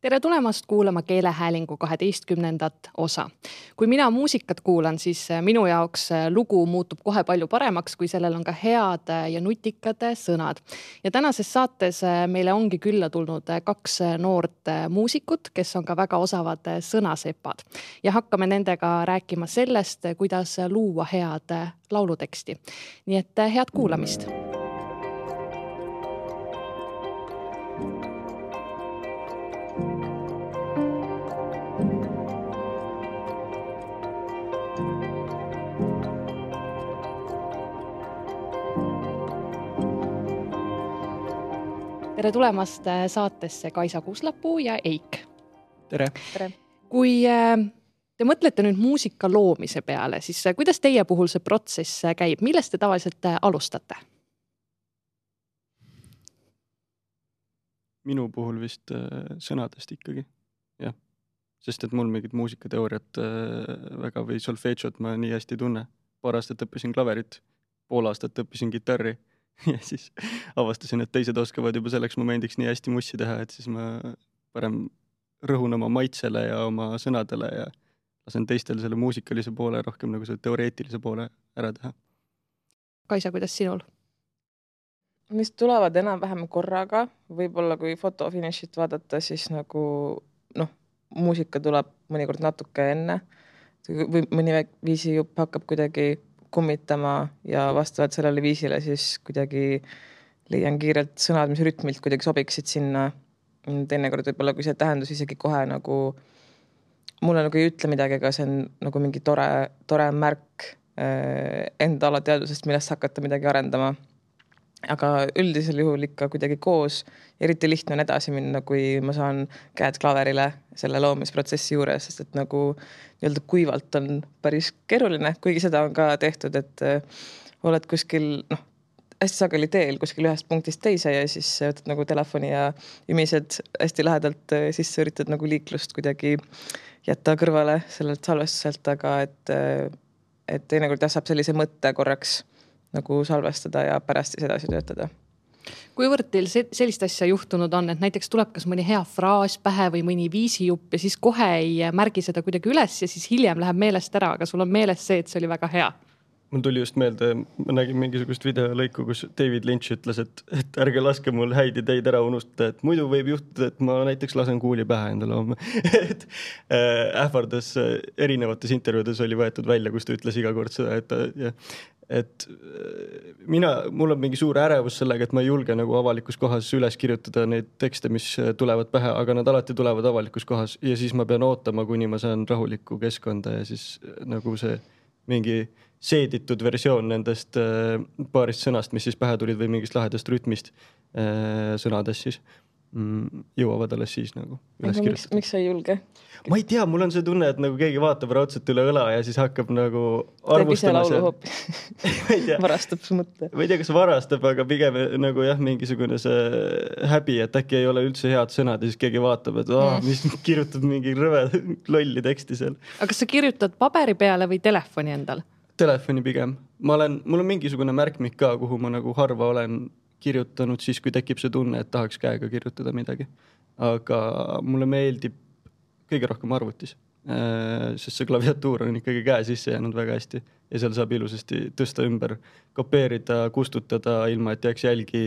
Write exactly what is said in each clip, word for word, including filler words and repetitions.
Tere tulemast kuulama keelehäälingu kaheteistkümnendat osa. Kui mina muusikat kuulan, siis minu jaoks lugu muutub kohe palju paremaks, kui sellel on ka head ja nutikad sõnad. Ja tänases saates meile ongi külla tulnud kaks noort muusikut, kes on ka väga osavad sõnasepad. Ja hakkame nendega rääkima sellest, kuidas luua head lauluteksti. Nii et head kuulamist! Tere tulemast saatesse Kaisa Kuuslapuu ja Eik. Tere. Tere. Kui te mõtlete nüüd muusika loomise peale, siis kuidas teie puhul see protsess käib? Millest te tavaliselt alustate? Minu puhul vist sõnadest ikkagi, jah. Sest et mul mingit muusikateooriat väga või solfegiot ma nii hästi tunne. Paar aastat õppisin klaverit, pool aastat õppisin gitarri. Ja siis avastasin, et teised oskavad juba selleks momendiks nii hästi mussi teha, et siis ma parem rõhun oma maitsele ja oma sõnadele ja lasen teistel selle muusikalise poole rohkem nagu selle teoreetilise poole ära teha. Kaisa, kuidas sinul? Mis tulevad enam-vähem korraga, võib-olla kui fotofinishit vaadata, siis nagu noh, muusika tuleb mõnikord natuke enne. Või mõni viisi jupp hakkab kuidagi kummitama ja vastavalt sellele viisile siis kuidagi leian kiirelt sõnad, mis rütmilt kuidagi sobiksid sinna. Teinekord võib-olla, kui see tähendus isegi kohe nagu mulle nagu ei ütle midagi, aga see on nagu mingi tore, tore märk enda alateadusest, millest hakata midagi arendama. Aga üldisel juhul ikka kuidagi koos. Eriti lihtne on edasi minna, kui ma saan käed klaverile selle loomisprotsessi juures, sest et nagu nii-öelda kuivalt on päris keeruline, kuigi seda on ka tehtud, et oled kuskil, noh, hästi sageli teel kuskil ühest punktist teise ja siis võtad nagu telefoni ja ümised hästi lähedalt sisse üritad nagu liiklust kuidagi jätta kõrvale sellelt salvestuselt, aga et, et teinekord jah saab sellise mõtte korraks nagu salvestada ja pärast siis edasi töötada. Kuivõrd teil sellist asja juhtunud on, et näiteks tuleb kas mõni hea fraas pähe või mõni viisijupp ja siis kohe ei märgi seda kuidagi üles ja siis hiljem läheb meelest ära, aga sul on meeles see, et see oli väga hea? Mul tuli just meelde, ma nägin mingisugust videolõiku, kus David Lynch ütles, et, et ärge laske mul häid ideid ära unustada, et muidu võib juhtuda, et ma näiteks lasen kuuli pähe endale homme. et äh, ähvardas erinevates intervjuudes oli võetud välja, kus ta ütles iga kord seda, et ja, et mina, mul on mingi suur ärevus sellega, et ma ei julge nagu avalikus kohas üles kirjutada neid tekste, mis tulevad pähe, aga nad alati tulevad avalikus kohas ja siis ma pean ootama, kuni ma saan rahulikku keskkonda ja siis nagu see mingi seeditud versioon nendest paarist sõnast, mis siis pähe tulid või mingist lahedast rütmist sõnadest siis jõuavad alles siis nagu üles miks, kirjutada. Miks sa ei julge? Ma ei tea, mul on see tunne, et nagu keegi vaatab raudselt üle õla ja siis hakkab nagu arvustama see. Teeb ise laulu varastab su mõtte. Ma ei tea, kas varastab, aga pigem nagu jah, mingisugune see häbi, et äkki ei ole üldse head sõnad ja siis keegi vaatab, et oh, mis kirjutab mingi rõve lolli teksti seal. Aga kas sa kirjutad paberi peale või telefoni endal? Telefoni pigem. Ma olen, mul on mingisugune märkmik ka, kuhu ma nagu harva olen kirjutanud siis, kui tekib see tunne, et tahaks käega kirjutada midagi. Aga mulle meeldib kõige rohkem arvutis, sest see klaviatuur on ikkagi käe sisse jäänud väga hästi ja seal saab ilusasti tõsta ümber, kopeerida, kustutada ilma, et jääks jälgi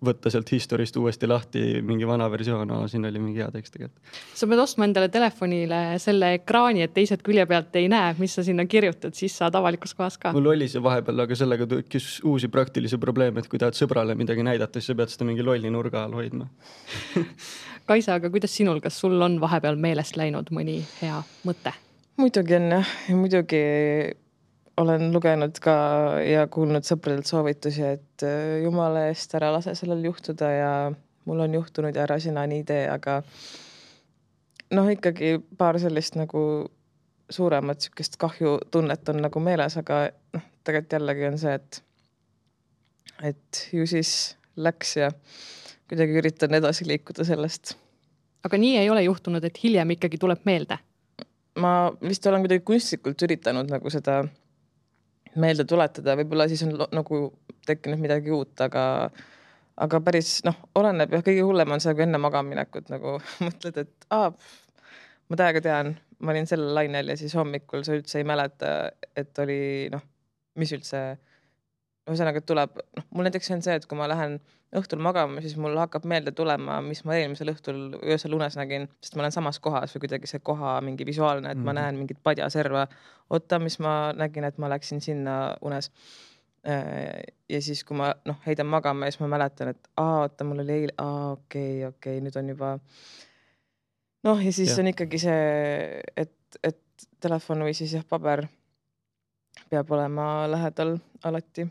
võtta sealt historist uuesti lahti mingi vana versioon, no, siin oli mingi hea tekst tegelikult. Sa pead ostma endale telefonile selle ekraani, et teised külje pealt ei näe, mis sa sinna kirjutad, siis saad avalikus kohas ka. Mul oli see vahepeal, aga sellega tekkis uusi praktilisi probleeme, et kui tahad sõbrale midagi näidata, siis sa pead seda mingi lolli nurga all hoidma. Kaisa, aga kuidas sinul, kas sul on vahepeal meelest läinud mõni hea mõte? Muidugi on jah, ja muidugi olen lugenud ka ja kuulnud sõpradelt soovitusi, et jumala eest ära lase sellel juhtuda ja mul on juhtunud ja ära sina nii tee, aga noh, ikkagi paar sellist nagu suuremat sükest kahju tunnet on nagu meeles, aga noh, tegelikult jällegi on see, et et ju siis läks ja kuidagi üritan edasi liikuda sellest. Aga nii ei ole juhtunud, et hiljem ikkagi tuleb meelde? Ma vist olen kuidagi kunstlikult üritanud nagu seda meelde tuletada, võib-olla siis on nagu tekkinud midagi uut, aga, aga päris, noh, oleneb ja kõige hullem on see, kui enne magaminekut nagu mõtled, et aa, ma täiega tean, ma olin sellel lainel ja siis hommikul sa üldse ei mäleta, et oli, noh, mis üldse, ühesõnaga, et tuleb, noh, mul näiteks on see, et kui ma lähen õhtul magama, siis mul hakkab meelde tulema, mis ma eelmisel õhtul öösel unes nägin, sest ma olen samas kohas või kuidagi see koha mingi visuaalne, et mm -hmm. ma näen mingit padjaserva. Oota, mis ma nägin, et ma läksin sinna unes. Ja siis, kui ma, noh, heidan magama ja siis ma mäletan, et aa, oota, mul oli eile, aa, okei, okei, nüüd on juba, noh, ja siis ja. on ikkagi see, et, et telefon või siis jah, paber peab olema lähedal alati.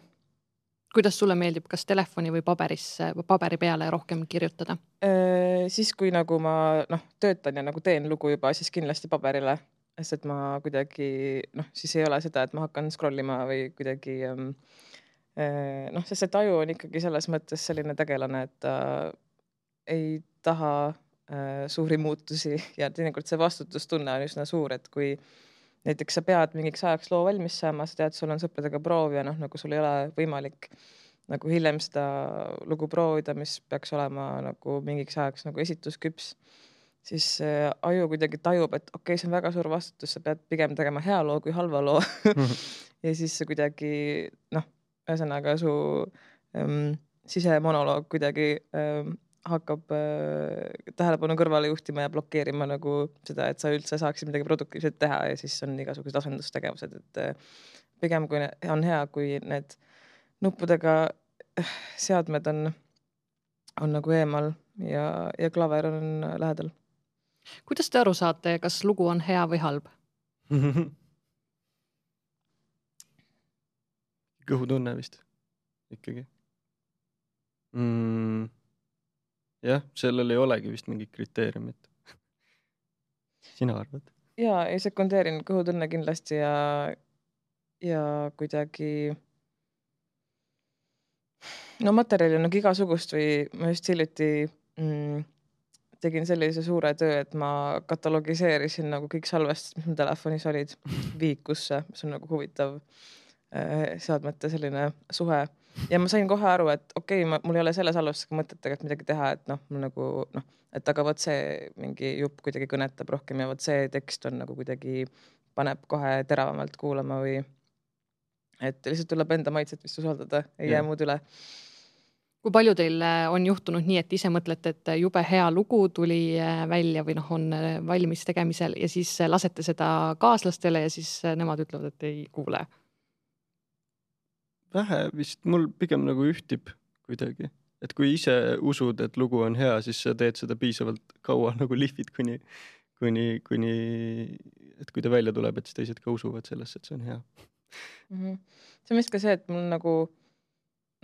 Kuidas sulle meeldib, kas telefoni või paberisse, paberi peale rohkem kirjutada? Äh, siis, kui nagu ma, noh, töötan ja nagu teen lugu juba, siis kindlasti paberile, sest et ma kuidagi, noh, siis ei ole seda, et ma hakkan scrollima või kuidagi, äh, noh, sest et aju on ikkagi selles mõttes selline tegelane, et ta ei taha äh, suuri muutusi ja teinekord see vastutustunne on üsna suur, et kui näiteks sa pead mingiks ajaks loo valmis saama, sa tead, sul on sõpradega proov ja noh, nagu sul ei ole võimalik nagu hiljem seda lugu proovida, mis peaks olema nagu mingiks ajaks nagu esitusküps, siis äh, aju kuidagi tajub, et okei okay,, see on väga suur vastutus, sa pead pigem tegema hea loo kui halva loo ja siis see kuidagi, noh, ühesõnaga su ähm, sisemonoloog kuidagi ähm, hakkab äh, tähelepanu kõrvale juhtima ja blokeerima nagu seda, et sa üldse saaksid midagi produktiivset teha ja siis on igasugused asendustegevused, et äh, pigem kui on hea, kui need nuppudega seadmed on, on nagu eemal ja, ja klaver on lähedal. Kuidas te aru saate, kas lugu on hea või halb? Kõhutunne vist ikkagi. Mm. Jah, sellel ei olegi vist mingit kriteeriumit. Sina arvad? Jaa, ei sekundeerin kõhutunne kindlasti ja, ja kuidagi no materjali on nagu igasugust või ma just hiljuti mm, tegin sellise suure töö, et ma katalogiseerisin nagu kõik salvestused, mis mul telefonis olid viikusse, mis on nagu huvitav äh, seadmete selline suhe. Ja ma sain kohe aru, et okei, okay, mul ei ole selle salvestusega mõtetega midagi teha, et noh, mul nagu noh, et aga võt see mingi jupp kuidagi kõnetab rohkem ja võt see tekst on nagu kuidagi paneb kohe teravamalt kuulama või et lihtsalt tuleb enda maitset vist usaldada, ei jää muud üle. Kui palju teil on juhtunud nii, et ise mõtlete, et jube hea lugu tuli välja või noh, on valmis tegemisel ja siis lasete seda kaaslastele ja siis nemad ütlevad, et ei kuule? Vähe vist, mul pigem nagu ühtib kuidagi, et kui ise usud, et lugu on hea, siis sa teed seda piisavalt kaua nagu lihvid, kuni, kuni, kuni, et kui ta välja tuleb, et siis teised ka usuvad sellesse, et see on hea. Mm-hmm. See on vist ka see, et mul nagu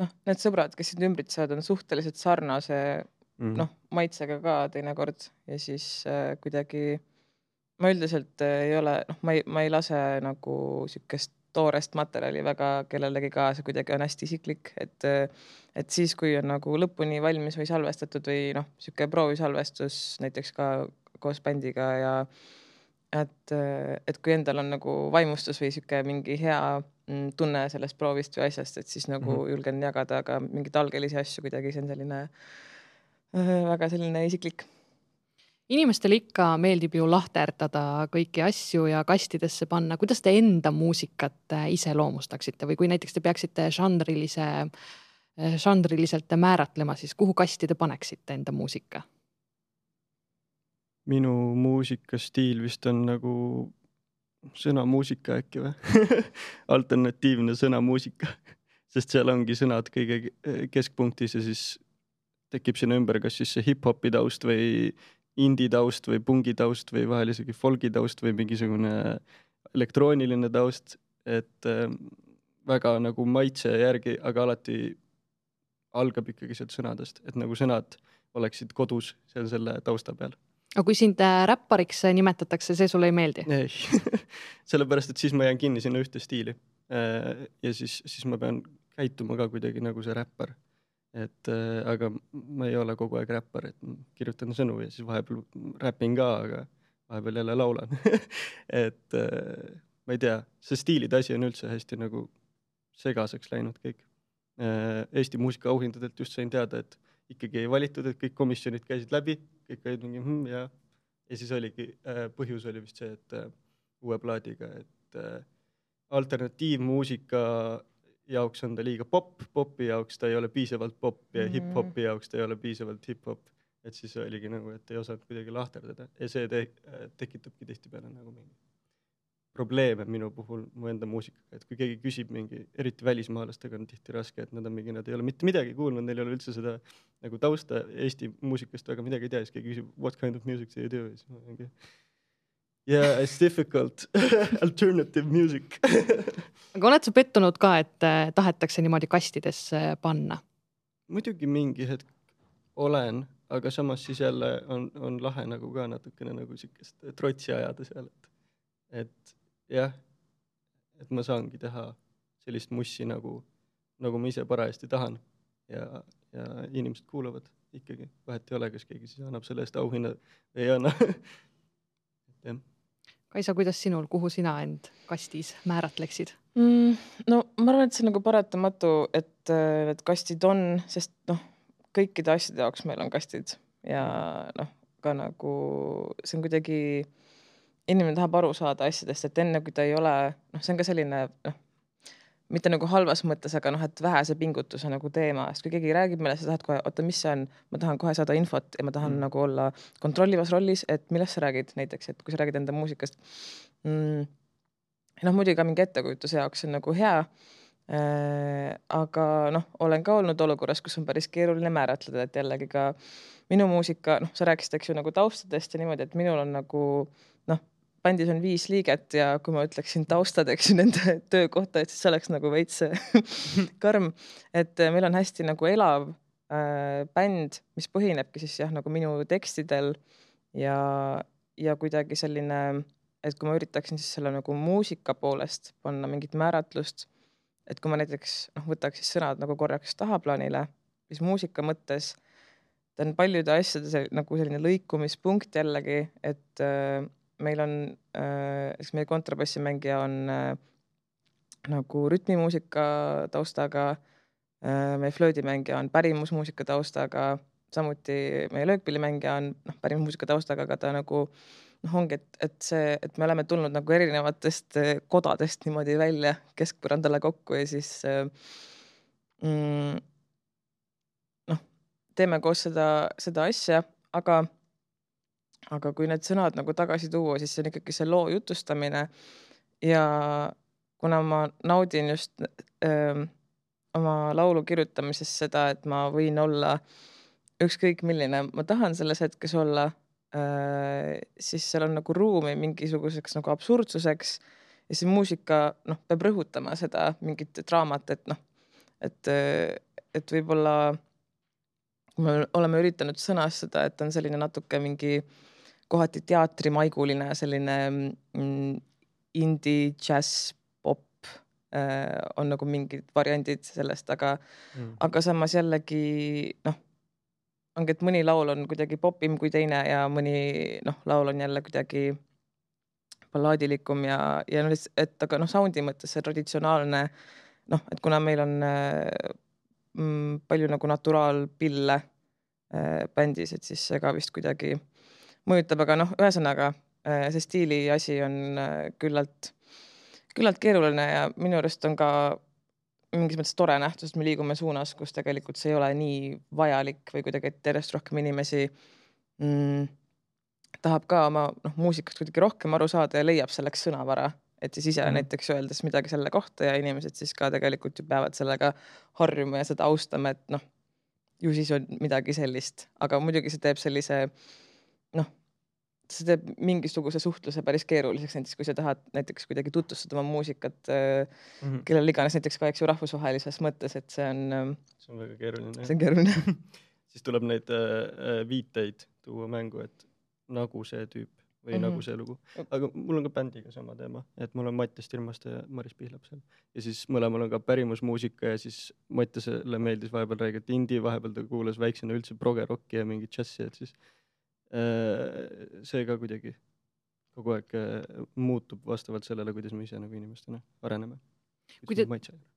noh, need sõbrad, kes sind ümbritsevad, on suhteliselt sarnase mm. noh, maitsega ka teinekord ja siis äh, kuidagi ma üldiselt äh, ei ole, noh, ma ei, ma ei lase nagu sükest toorest materjali väga kellelegi ka, see kuidagi on hästi isiklik, et, et siis, kui on nagu lõpuni valmis või salvestatud või noh, siuke proovisalvestus näiteks ka koos bändiga ja et, et kui endal on nagu vaimustus või siuke mingi hea tunne sellest proovist või asjast, et siis nagu mm-hmm. julgen jagada ka mingit algelisi asju kuidagi, see on selline väga selline isiklik. Inimestele ikka meeldib ju lahterdada kõiki asju ja kastidesse panna. Kuidas te enda muusikat ise loomustaksite või kui näiteks te peaksite žanrilise, žanriliselt määratlema, siis kuhu kasti te paneksite enda muusika? Minu muusikastiil vist on nagu sõnamuusika äkki või? Alternatiivne sõnamuusika, sest seal ongi sõnad kõige keskpunktis ja siis tekib sinna ümber kas siis see hip-hopi taust või indie taust või pungi taust või vahel isegi folgi taust või mingisugune elektrooniline taust, et äh, väga nagu maitse järgi, aga alati algab ikkagi sealt sõnadest, et nagu sõnad oleksid kodus seal selle tausta peal. Aga kui sind räppariks nimetatakse, see sulle ei meeldi? Ei, sellepärast, et siis ma jään kinni sinna ühte stiili äh, ja siis, siis ma pean käituma ka kuidagi nagu see räppar. Et äh, aga ma ei ole kogu aeg räppar, et kirjutan sõnu ja siis vahepeal räpin ka, aga vahepeal jälle laulan. et äh, ma ei tea, see stiilide asi on üldse hästi nagu segaseks läinud kõik. Eesti muusika auhindadelt just sain teada, et ikkagi ei valitud, et kõik komisjonid käisid läbi, kõik olid mingi hm, ja, ja siis oligi, põhjus oli vist see, et uue plaadiga, et alternatiivmuusika jaoks on ta liiga pop, popi jaoks ta ei ole piisavalt pop ja mm. hip-hopi jaoks ta ei ole piisavalt hip-hop, et siis oligi nagu, et ei osanud kuidagi lahterdada ja see te tekitabki tihtipeale nagu mingi probleeme minu puhul mu enda muusikaga, et kui keegi küsib mingi, eriti välismaalastega on tihti raske, et nad on mingi, nad ei ole mitte midagi kuulnud, neil ei ole üldse seda nagu tausta Eesti muusikast väga midagi ei tea, siis keegi küsib, what kind of music do you do? Siis ma mingi, yeah, it's difficult. Alternative music. Aga oled sa pettunud ka, et tahetakse niimoodi kastidesse panna? Muidugi mingi hetk olen, aga samas siis jälle on, on lahe nagu ka natukene nagu sikest trotsi ajada seal, et, et jah, et ma saangi teha sellist mussi nagu, nagu ma ise parajasti tahan ja, ja inimesed kuulavad ikkagi. Vahet ei ole, kas keegi siis annab selle eest auhinna või ei anna. Kaisa, kuidas sinul, kuhu sina end kastis määratleksid? Mm, no ma arvan, et see on nagu paratamatu, et need kastid on, sest noh, kõikide asjade jaoks meil on kastid ja noh, ka nagu see on kuidagi inimene tahab aru saada asjadest, et enne kui ta ei ole, noh, see on ka selline, noh, mitte nagu halvas mõttes, aga noh, et vähese pingutuse nagu teema, sest kui keegi räägib meile, sa tahad kohe, oota, mis see on, ma tahan kohe saada infot ja ma tahan mm. nagu olla kontrollivas rollis, et millest sa räägid näiteks, et kui sa räägid enda muusikast. Mm, noh, muidugi ka mingi ettekujutuse jaoks on nagu hea, äh, aga noh, olen ka olnud olukorras, kus on päris keeruline määratleda, et jällegi ka minu muusika, noh, sa rääkisid, eks ju, nagu taustadest ja niimoodi, et minul on nagu, noh, bandis on viis liiget ja kui ma ütleksin taustad, eks nende töökohta, et siis see oleks nagu veits karm, et meil on hästi nagu elav äh, bänd, mis põhinebki siis jah, nagu minu tekstidel ja, ja kuidagi selline, et kui ma üritaksin siis selle nagu muusika poolest panna mingit määratlust, et kui ma näiteks noh, võtaks siis sõnad nagu korraks tahaplaanile, siis muusika mõttes ta on paljude asjade sel, nagu selline lõikumispunkt jällegi, et äh, meil on, eks meie kontrabassimängija on äh, nagu rütmimuusika taustaga, äh, meie flöödimängija on pärimusmuusika taustaga, samuti meie löökpillimängija on noh, pärimusmuusika taustaga, aga ta nagu noh, ongi, et, et see, et me oleme tulnud nagu erinevatest kodadest niimoodi välja keskpõrandale kokku ja siis äh, mm, noh, teeme koos seda, seda asja, aga aga kui need sõnad nagu tagasi tuua, siis see on ikkagi see loo jutustamine ja kuna ma naudin just öö, oma laulu kirjutamises seda, et ma võin olla ükskõik milline, ma tahan selles hetkes olla, öö, siis seal on nagu ruumi mingisuguseks nagu absurdsuseks ja see muusika noh, peab rõhutama seda mingit draamat, et noh, et, et võib-olla me oleme üritanud sõnastada, et on selline natuke mingi kohati teatrimaiguline selline mm, indie, jazz, pop äh, on nagu mingid variandid sellest, aga, mm. aga samas jällegi noh, ongi, et mõni laul on kuidagi popim kui teine ja mõni noh, laul on jälle kuidagi ballaadilikum ja, ja no, et aga noh, soundi mõttes see traditsionaalne noh, et kuna meil on äh, mm, palju nagu naturaalpille äh, bändis, et siis see ka vist kuidagi mõjutab, aga noh, ühesõnaga see stiili asi on küllalt, küllalt keeruline ja minu arust on ka mingis mõttes tore nähtus, et me liigume suunas, kus tegelikult see ei ole nii vajalik või kuidagi järjest rohkem inimesi mm, tahab ka oma noh, muusikast kuidagi rohkem aru saada ja leiab selleks sõnavara, et siis ise mm. näiteks öeldes midagi selle kohta ja inimesed siis ka tegelikult ju peavad sellega harjuma ja seda austama, et noh, ju siis on midagi sellist, aga muidugi see teeb sellise noh, see teeb mingisuguse suhtluse päris keeruliseks, näiteks kui sa tahad näiteks kuidagi tutvustada oma muusikat mm-hmm. kellel iganes näiteks ka eks ju rahvusvahelises mõttes, et see on see on väga keeruline. See on keeruline. Siis tuleb neid äh, viiteid tuua mängu, et nagu see tüüp või mm-hmm. nagu see lugu. Aga mul on ka bändiga sama teema, et mul on Mattias Tirmaste ja Maris Pihlap seal. Ja siis mõlemal on ka pärimusmuusika ja siis Mattiasele meeldis vahepeal räägida indie, vahepeal ta kuulas väiksena üldse progerocki ja mingi džassi, et siis see ka kuidagi kogu aeg muutub vastavalt sellele, kuidas me ise nagu inimestena areneme. Kui te,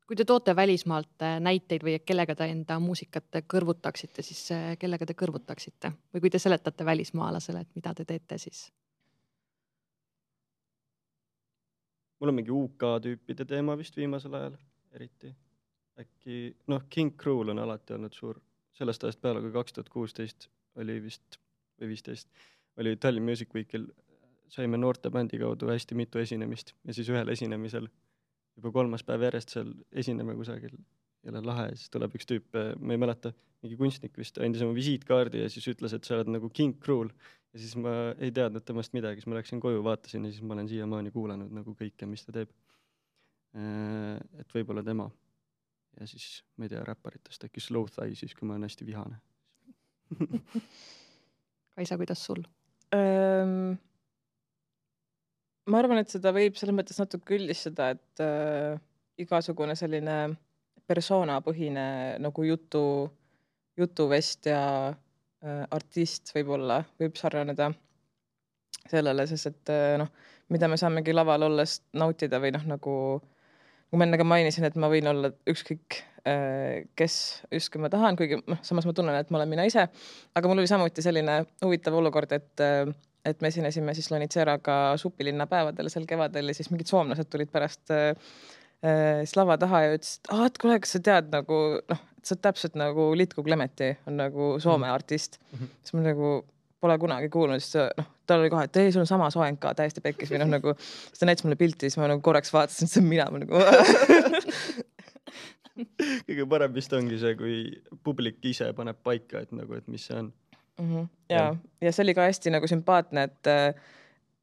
kui te toote välismaalt näiteid või kellega te enda muusikat kõrvutaksite, siis kellega te kõrvutaksite? Või kui te seletate välismaalasele, et mida te teete siis? Mul on mingi U K tüüpide teema vist viimasel ajal, eriti. Äkki, noh, King Cruel on alati olnud suur. Sellest ajast peale, kui kaks tuhat kuusteist oli vist, või viisteist, oli Tallinn Music Weekil, saime noorte bändi kaudu hästi mitu esinemist ja siis ühel esinemisel juba kolmas päev järjest seal esineme kusagil jälle lahe ja siis tuleb üks tüüp, ma ei mäleta, mingi kunstnik vist, andis oma visiitkaardi ja siis ütles, et sa oled nagu King Cruel ja siis ma ei teadnud temast midagi, siis ma läksin koju, vaatasin ja siis ma olen siiamaani kuulanud nagu kõike, mis ta teeb. Et võib-olla tema ja siis, ma ei tea, räpparitest äkki Slow Thigh siis, kui ma olen hästi vihane. Kaisa, kuidas sul? Um... Ma arvan, et seda võib selles mõttes natuke üldistada, et äh, igasugune selline persoonapõhine nagu jutu, jutuvest ja äh, artist võib-olla, võib sarnaneda sellele, sest et äh, noh, mida me saamegi laval olles nautida või noh, nagu, nagu ma enne ka mainisin, et ma võin olla ükskõik äh, kes just kui ma tahan, kuigi noh, samas ma tunnen, et ma olen mina ise, aga mul oli samuti selline huvitav olukord, et äh, et me esinesime siis Lonitseraga Supilinna päevadel seal kevadel ja siis mingid soomlased tulid pärast äh, siis lava taha ja ütlesid, ah, et kuule, kas sa tead nagu, noh, et sa täpselt nagu Litku Klemeti on nagu Soome mm. artist. Mm-hmm. Siis ma nagu pole kunagi kuulnud, siis noh, tal oli kohe, et ei, sul on sama soeng ka täiesti pekkis või noh, nagu, siis ta näitas mulle pilti, siis ma nagu korraks vaatasin, et see on mina, ma nagu kõige parem vist ongi see, kui publik ise paneb paika, et nagu, et mis see on. Mm-hmm. Ja, ja. ja see oli ka hästi nagu sümpaatne, et,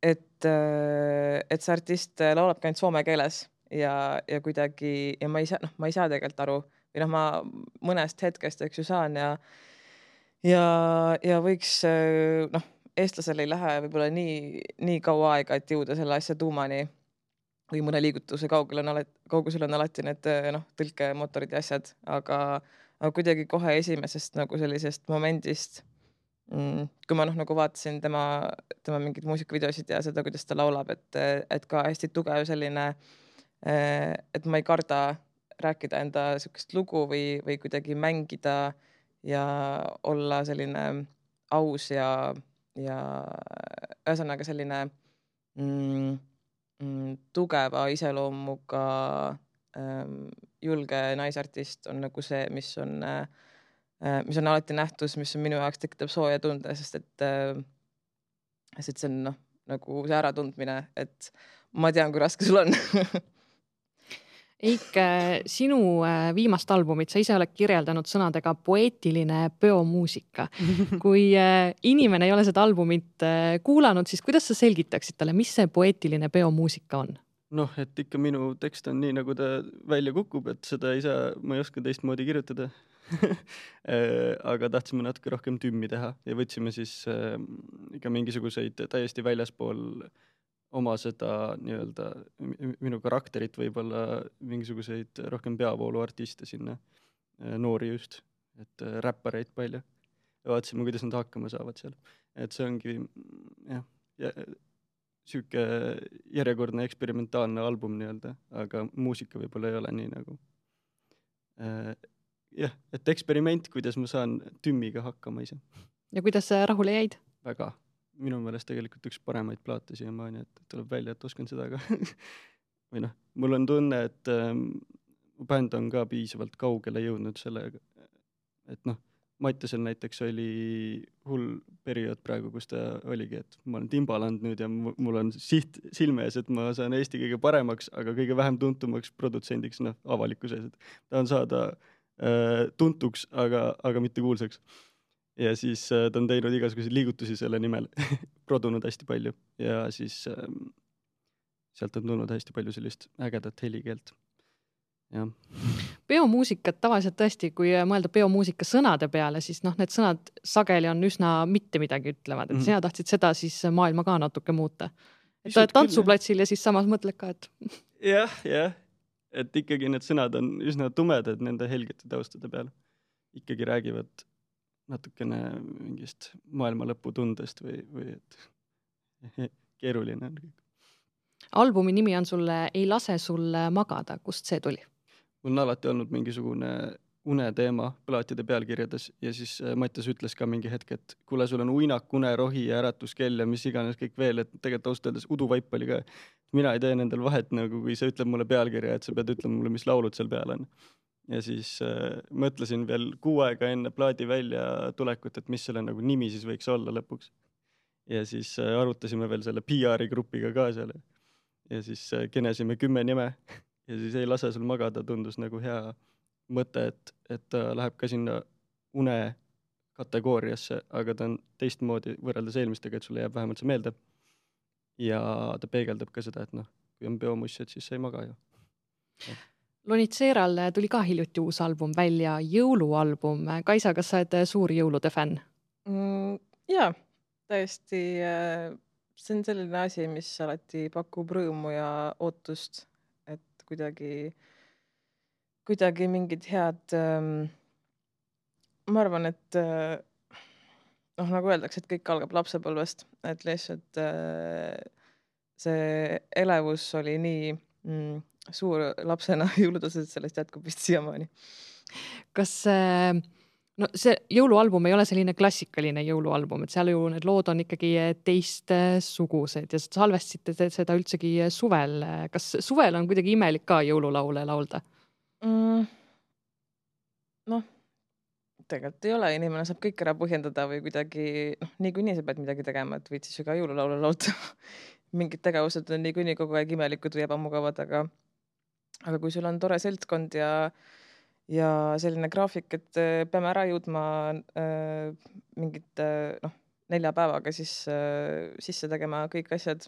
et, et see artist laulab ka ainult soome keeles ja, ja kuidagi, ja ma ei saa, noh, ma ei saa tegelikult aru, või noh, ma mõnest hetkest, eks ju, saan ja, ja, ja võiks, noh, eestlasel ei lähe võib-olla nii, nii kaua aega, et jõuda selle asja tuumani või mõne liigutuse kaugel on alati, kaugusel on alati need, noh, tõlkemotorid ja asjad, aga, aga kuidagi kohe esimesest nagu sellisest momendist kui ma noh, nagu vaatasin tema, tema mingid muusikavideosid ja seda, kuidas ta laulab, et, et ka hästi tugev selline, et ma ei karda rääkida enda sükest lugu või, või kuidagi mängida ja olla selline aus ja, ja ühesõnaga selline mm, mm, tugeva iseloomuga ähm, julge naisartist on nagu see, mis on äh, mis on alati nähtus, mis on minu jaoks tekitab sooja tunde, sest et, sest et see on noh, nagu see äratundmine, et ma tean, kui raske sul on. Eik, sinu viimast albumit sa ise oled kirjeldanud sõnadega poeetiline peomuusika. Kui inimene ei ole seda albumit kuulanud, siis kuidas sa selgitaksid talle, mis see poeetiline peomuusika on? Noh, et ikka minu tekst on nii, nagu ta välja kukub, et seda ei saa, ma ei oska teistmoodi kirjutada. Aga tahtsime natuke rohkem tümmi teha ja võtsime siis äh, ikka mingisuguseid täiesti väljaspool oma seda nii-öelda minu karakterit võib-olla mingisuguseid rohkem peavoolu artiste sinna, äh, noori just, et äh, räppareid palju ja vaatasime, kuidas nad hakkama saavad seal. Et see ongi jah, ja, süüke järjekordne eksperimentaalne album nii-öelda, aga muusika võib-olla ei ole nii nagu äh, jah, et eksperiment, kuidas ma saan tümmiga hakkama ise. Ja kuidas rahule jäid? Väga. Minu meelest tegelikult üks paremaid plaate siiamaani, et tuleb välja, et oskan seda ka. või noh, mul on tunne, et ähm, bänd on ka piisavalt kaugele jõudnud sellega, et noh, Mattiasel näiteks oli hull periood praegu, kus ta oligi, et ma olen Timbaland nüüd ja mul on siht silme ees, et ma saan Eesti kõige paremaks, aga kõige vähem tuntumaks produtsendiks noh, avalikkuses, et ta on saada äh, tuntuks, aga, aga mitte kuulsaks. Ja siis äh, ta on teinud igasuguseid liigutusi selle nimel, produnud hästi palju ja siis äh, sealt on tulnud hästi palju sellist ägedat helikeelt. Ja. Peomuusikat tavaliselt tõesti, kui mõelda peomuusika sõnade peale, siis noh, need sõnad sageli on üsna mitte midagi ütlevad, et mm-hmm. sina tahtsid seda siis maailma ka natuke muuta. Et oled tantsuplatsil ja siis samas mõtled ka, et... jah, jah, et ikkagi need sõnad on üsna tumedad nende helgete taustade peale. Ikkagi räägivad natukene mingist maailma lõpu tundest või, või et keeruline on kõik. Albumi nimi on sulle Ei lase sul magada, kust see tuli? Mul on alati olnud mingisugune uneteema plaatide pealkirjades ja siis Mattias ütles ka mingi hetk, et kuule, sul on uinak, une, rohi ja äratuskell ja mis iganes kõik veel, et tegelikult ausalt öeldes uduvaip oli ka. Mina ei tee nendel vahet, nagu kui sa ütleb mulle pealkirja, et sa pead ütlema mulle, mis laulud seal peal on. Ja siis äh, mõtlesin veel kuu aega enne plaadi välja tulekut, et mis selle nagu nimi siis võiks olla lõpuks. Ja siis äh, arutasime veel selle P R-i grupiga ka seal. Ja siis äh, kenesime kümme nime ja siis Ei lase sul magada tundus nagu hea mõte, et, et ta läheb ka sinna une kategooriasse, aga ta on teistmoodi võrreldes eelmistega, et sulle jääb vähemalt see meelde. Ja ta peegeldab ka seda, et noh, kui on peomussed, siis sa ei maga ju. Lonitseeral tuli ka hiljuti uus album välja, jõulualbum. Kaisa, kas sa oled suur jõulude fänn? Mm, jaa, täiesti. See on selline asi, mis alati pakub rõõmu ja ootust, et kuidagi kuidagi mingid head, ähm, ma arvan, et äh, noh, nagu öeldakse, et kõik algab lapsepõlvest, et lihtsalt äh, see elevus oli nii mm, suur lapsena jõulutased, sellest jätkub vist siiamaani. Kas äh, no see jõulualbum ei ole selline klassikaline jõulualbum, et seal ju need lood on ikkagi teist sugused ja salvestasite seda üldsegi suvel. Kas suvel on kuidagi imelik ka jõululaule laulda? Mm, noh, tegelikult ei ole, inimene saab kõik ära põhjendada või kuidagi, noh, niikuinii sa pead midagi tegema, et võid siis ju ka jõululaule laulda. Mingid tegevused on niikuinii kogu aeg imelikud või ebamugavad, aga, aga kui sul on tore seltskond ja, ja selline graafik, et peame ära jõudma äh, mingit äh, noh, nelja päevaga siis äh, sisse tegema kõik asjad.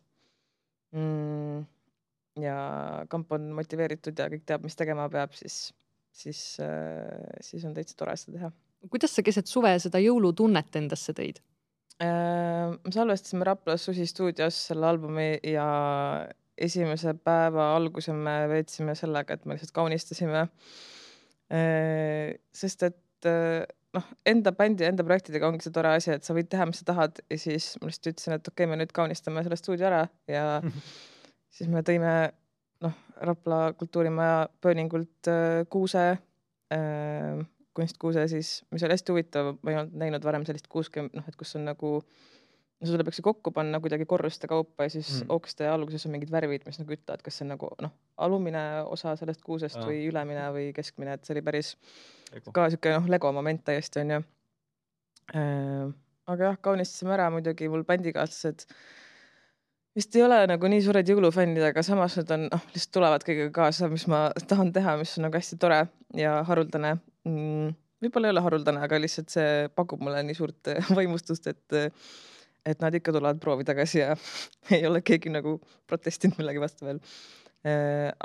Mm. Ja kamp on motiveeritud ja kõik teab, mis tegema peab, siis, siis, siis on täitsa tore seda teha. Kuidas sa keset suve seda jõulutunnet endasse tõid? Äh, salvestasime Raplas Susi stuudios selle albumi ja esimese päeva alguse me veetsime sellega, et me lihtsalt kaunistasime. Äh, sest et noh, enda bändi ja enda projektidega ongi see tore asi, et sa võid teha, mis sa tahad ja siis ma lihtsalt ütlesin, et okei, me nüüd kaunistame selle stuudio ära ja siis me tõime noh, Rapla kultuurimaja pööningult äh, kuuse, äh, kunstkuuse siis, mis oli hästi huvitav, ma ei olnud näinud varem sellist kuuske, noh, et kus on nagu, no seda peaks kokku panna kuidagi korruste kaupa ja siis mm. okste alguses on mingid värvid, mis nagu ütlevad, kas see on nagu noh, alumine osa sellest kuusest ah. või ülemine või keskmine, et see oli päris Lego. Ka siuke noh, Lego moment täiesti on ju. Äh, aga jah, kaunistasime ära muidugi mul bändikaaslased vist ei ole nagu nii suured jõulufännid, aga samas need on, noh, lihtsalt tulevad kõigega kaasa, mis ma tahan teha, mis on nagu hästi tore ja haruldane. Mm, võib-olla ei ole haruldane, aga lihtsalt see pakub mulle nii suurt vaimustust, et, et nad ikka tulevad proovi tagasi ja ei ole keegi nagu protestinud millegi vastu veel.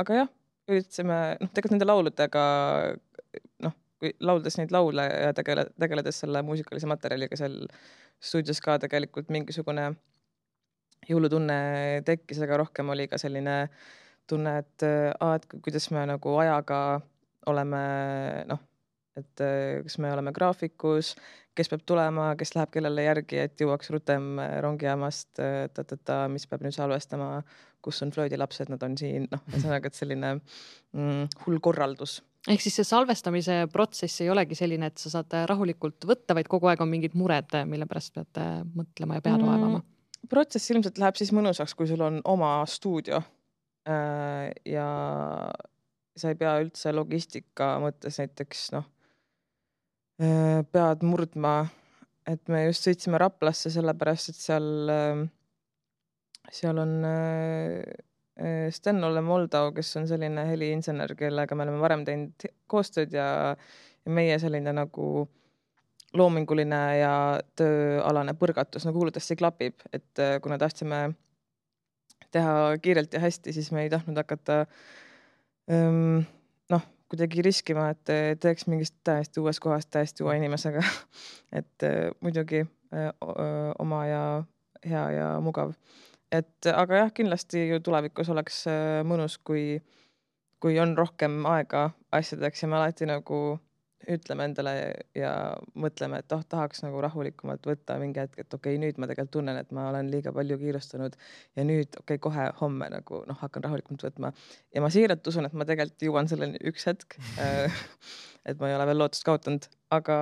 Aga jah, üritasime, noh, tegelikult nende lauludega, noh, kui lauldes neid laule ja tegele, tegeledes selle muusikalise materjaliga seal stuudios ka tegelikult mingisugune jõulutunne tekkis, aga rohkem oli ka selline tunne, et, a, et kuidas me nagu ajaga oleme, noh, et kas me oleme graafikus, kes peab tulema, kes läheb kellele järgi, et jõuaks rutem rongijaamast, ta, mis peab nüüd salvestama, kus on flöödilapsed, nad on siin, noh, ühesõnaga, et selline mm, hull korraldus. Ehk siis see salvestamise protsess ei olegi selline, et sa saad rahulikult võtta, vaid kogu aeg on mingid mured, mille pärast pead mõtlema ja pead vaevama. Mm. Protsess ilmselt läheb siis mõnusaks, kui sul on oma stuudio ja sa ei pea üldse logistika mõttes näiteks, noh, pead murdma, et me just sõitsime Raplasse sellepärast, et seal, seal on Sten-Olle Moldau, kes on selline heliinsener, kellega me oleme varem teinud koostööd ja, ja meie selline nagu loominguline ja tööalane põrgatus nagu hulludesti klapib, et kuna tahtsime teha kiirelt ja hästi, siis me ei tahtnud hakata ähm, noh, kuidagi riskima, et teeks mingist täiesti uues kohast täiesti uue inimesega, et äh, muidugi äh, oma ja hea ja mugav. Et aga jah, kindlasti ju tulevikus oleks äh, mõnus, kui, kui on rohkem aega asjadeks ja me alati nagu ütleme endale ja mõtleme, et oh, tahaks nagu rahulikumalt võtta mingi hetk, et okei okay,, nüüd ma tegelikult tunnen, et ma olen liiga palju kiirustanud ja nüüd okei okay,, kohe homme nagu noh, hakkan rahulikumalt võtma. Ja ma siiralt usun, et ma tegelikult jõuan selleni üks hetk, et ma ei ole veel lootust kaotanud, aga,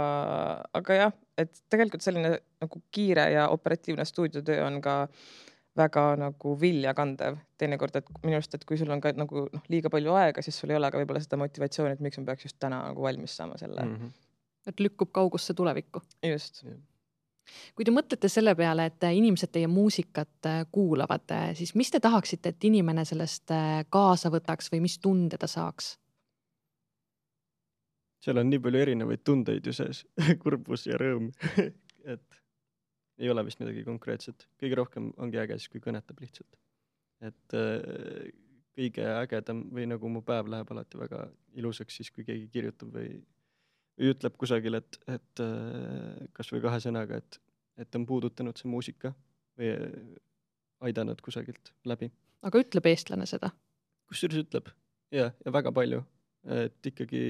aga jah, et tegelikult selline nagu kiire ja operatiivne stuudiotöö on ka väga nagu viljakandev teinekord, et minu arust, et kui sul on ka nagu noh, liiga palju aega, siis sul ei ole ka võib-olla seda motivatsiooni, et miks ma peaks just täna nagu valmis saama selle. Mhm. Et lükkub kaugusse tulevikku. Just. Kui te mõtlete selle peale, et inimesed teie muusikat kuulavad, siis mis te tahaksite, et inimene sellest kaasa võtaks või mis tunde ta saaks? Seal on nii palju erinevaid tundeid ju sees, kurbus ja rõõm, et ei ole vist midagi konkreetset. Kõige rohkem ongi äge siis, kui kõnetab lihtsalt. Et äh, kõige ägedam või nagu mu päev läheb alati väga ilusaks siis, kui keegi kirjutab või, või ütleb kusagil, et, et äh, kas või kahe sõnaga, et, et on puudutanud see muusika või aidanud kusagilt läbi. Aga ütleb eestlane seda? Kusjuures ütleb, ja, ja väga palju. Et ikkagi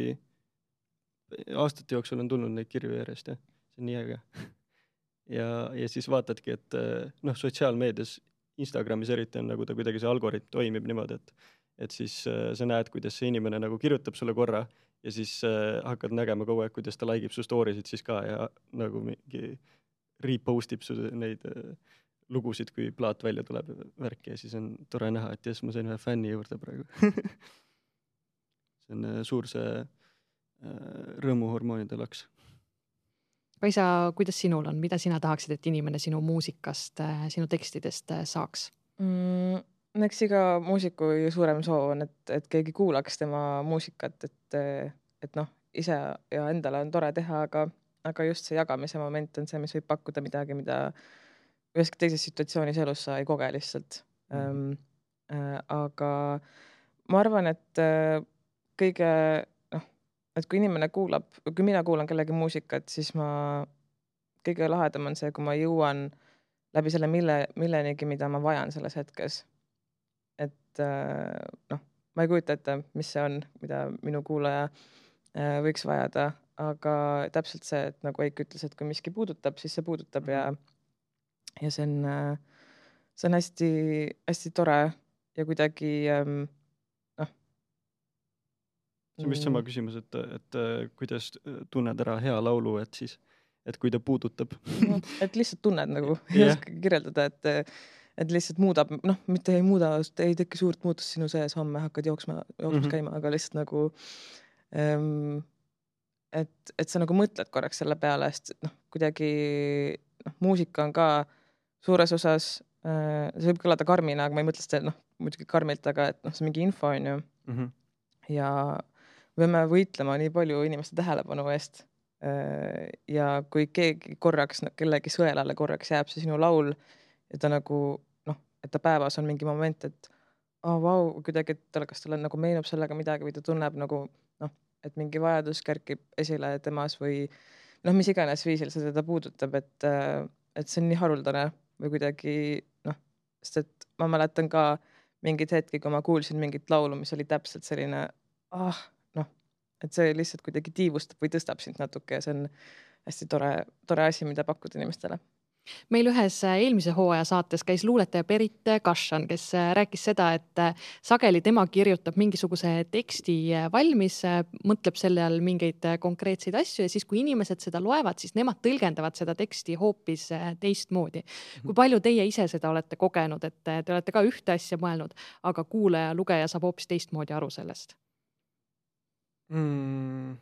aastate jooksul on tulnud neid kirju järjest, ja see on nii äge. Ja, ja siis vaatadki, et noh, sotsiaalmeedias, Instagramis eriti on nagu ta kuidagi see algoritm toimib niimoodi, et, et siis sa näed, kuidas see inimene nagu kirjutab sulle korra ja siis hakkad nägema kogu aeg, kuidas ta likeib su storysid siis ka ja nagu mingi repostib su neid lugusid, kui plaat välja tuleb värki ja siis on tore näha, et jes, ma sain ühe fänni juurde praegu. See on suur see rõõmuhormoonide laks. Kaisa, kuidas sinul on? Mida sina tahaksid, et inimene sinu muusikast, sinu tekstidest saaks? Mm, eks iga muusiku suurem soov on, et, et keegi kuulaks tema muusikat, et, et noh, ise ja endale on tore teha, aga, aga just see jagamise moment on see, mis võib pakkuda midagi, mida üheski teises situatsioonis elus sa ei koge lihtsalt. Mm-hmm. Ähm, äh, aga ma arvan, et äh, kõige et kui inimene kuulab, kui mina kuulan kellegi muusikat, siis ma, kõige lahedam on see, kui ma jõuan läbi selle mille, millenigi, mida ma vajan selles hetkes. Et noh, ma ei kujuta ette, mis see on, mida minu kuulaja võiks vajada, aga täpselt see, et nagu Eik ütles, et kui miski puudutab, siis see puudutab ja, ja see on, see on hästi, hästi tore ja kuidagi see on vist sama küsimus, et, et kuidas tunned ära hea laulu, et siis, et kui ta puudutab. Et lihtsalt tunned nagu, ei oska kirjeldada, et, et lihtsalt muudab, noh, mitte ei muuda, ei teki suurt muutust sinu sees, homme hakkad jooksma, jooksmas mm-hmm. käima, aga lihtsalt nagu, ähm, et, et sa nagu mõtled korraks selle peale, sest noh, kuidagi noh, muusika on ka suures osas, äh, see võib kõlada karmina, aga ma ei mõtle seda, noh, muidugi karmilt, aga et noh, see mingi info on ju mm-hmm. ja võime võitlema nii palju inimeste tähelepanu eest ja kui keegi korraks, kellegi sõelale korraks jääb see sinu laul ja ta nagu, noh, et ta päevas on mingi moment, et oh, vau, kuidagi, et kas talle nagu meenub sellega midagi või ta tunneb nagu, noh, et mingi vajadus kerkib esile temas või noh, mis iganes viisil see teda puudutab, et, et see on nii haruldane või kuidagi, noh, sest et ma mäletan ka mingid hetki, kui ma kuulsin mingit laulu, mis oli täpselt selline, ah, et see lihtsalt kuidagi tiivustab või tõstab sind natuke ja see on hästi tore, tore asi, mida pakkuda inimestele. Meil ühes eelmise hooaja saates käis luuletaja Berit Kašan, kes rääkis seda, et sageli tema kirjutab mingisuguse teksti valmis, mõtleb selle all mingeid konkreetseid asju ja siis, kui inimesed seda loevad, siis nemad tõlgendavad seda teksti hoopis teistmoodi. Kui palju teie ise seda olete kogenud, et te olete ka ühte asja mõelnud, aga kuulaja, lugeja saab hoopis teistmoodi aru sellest? Mm.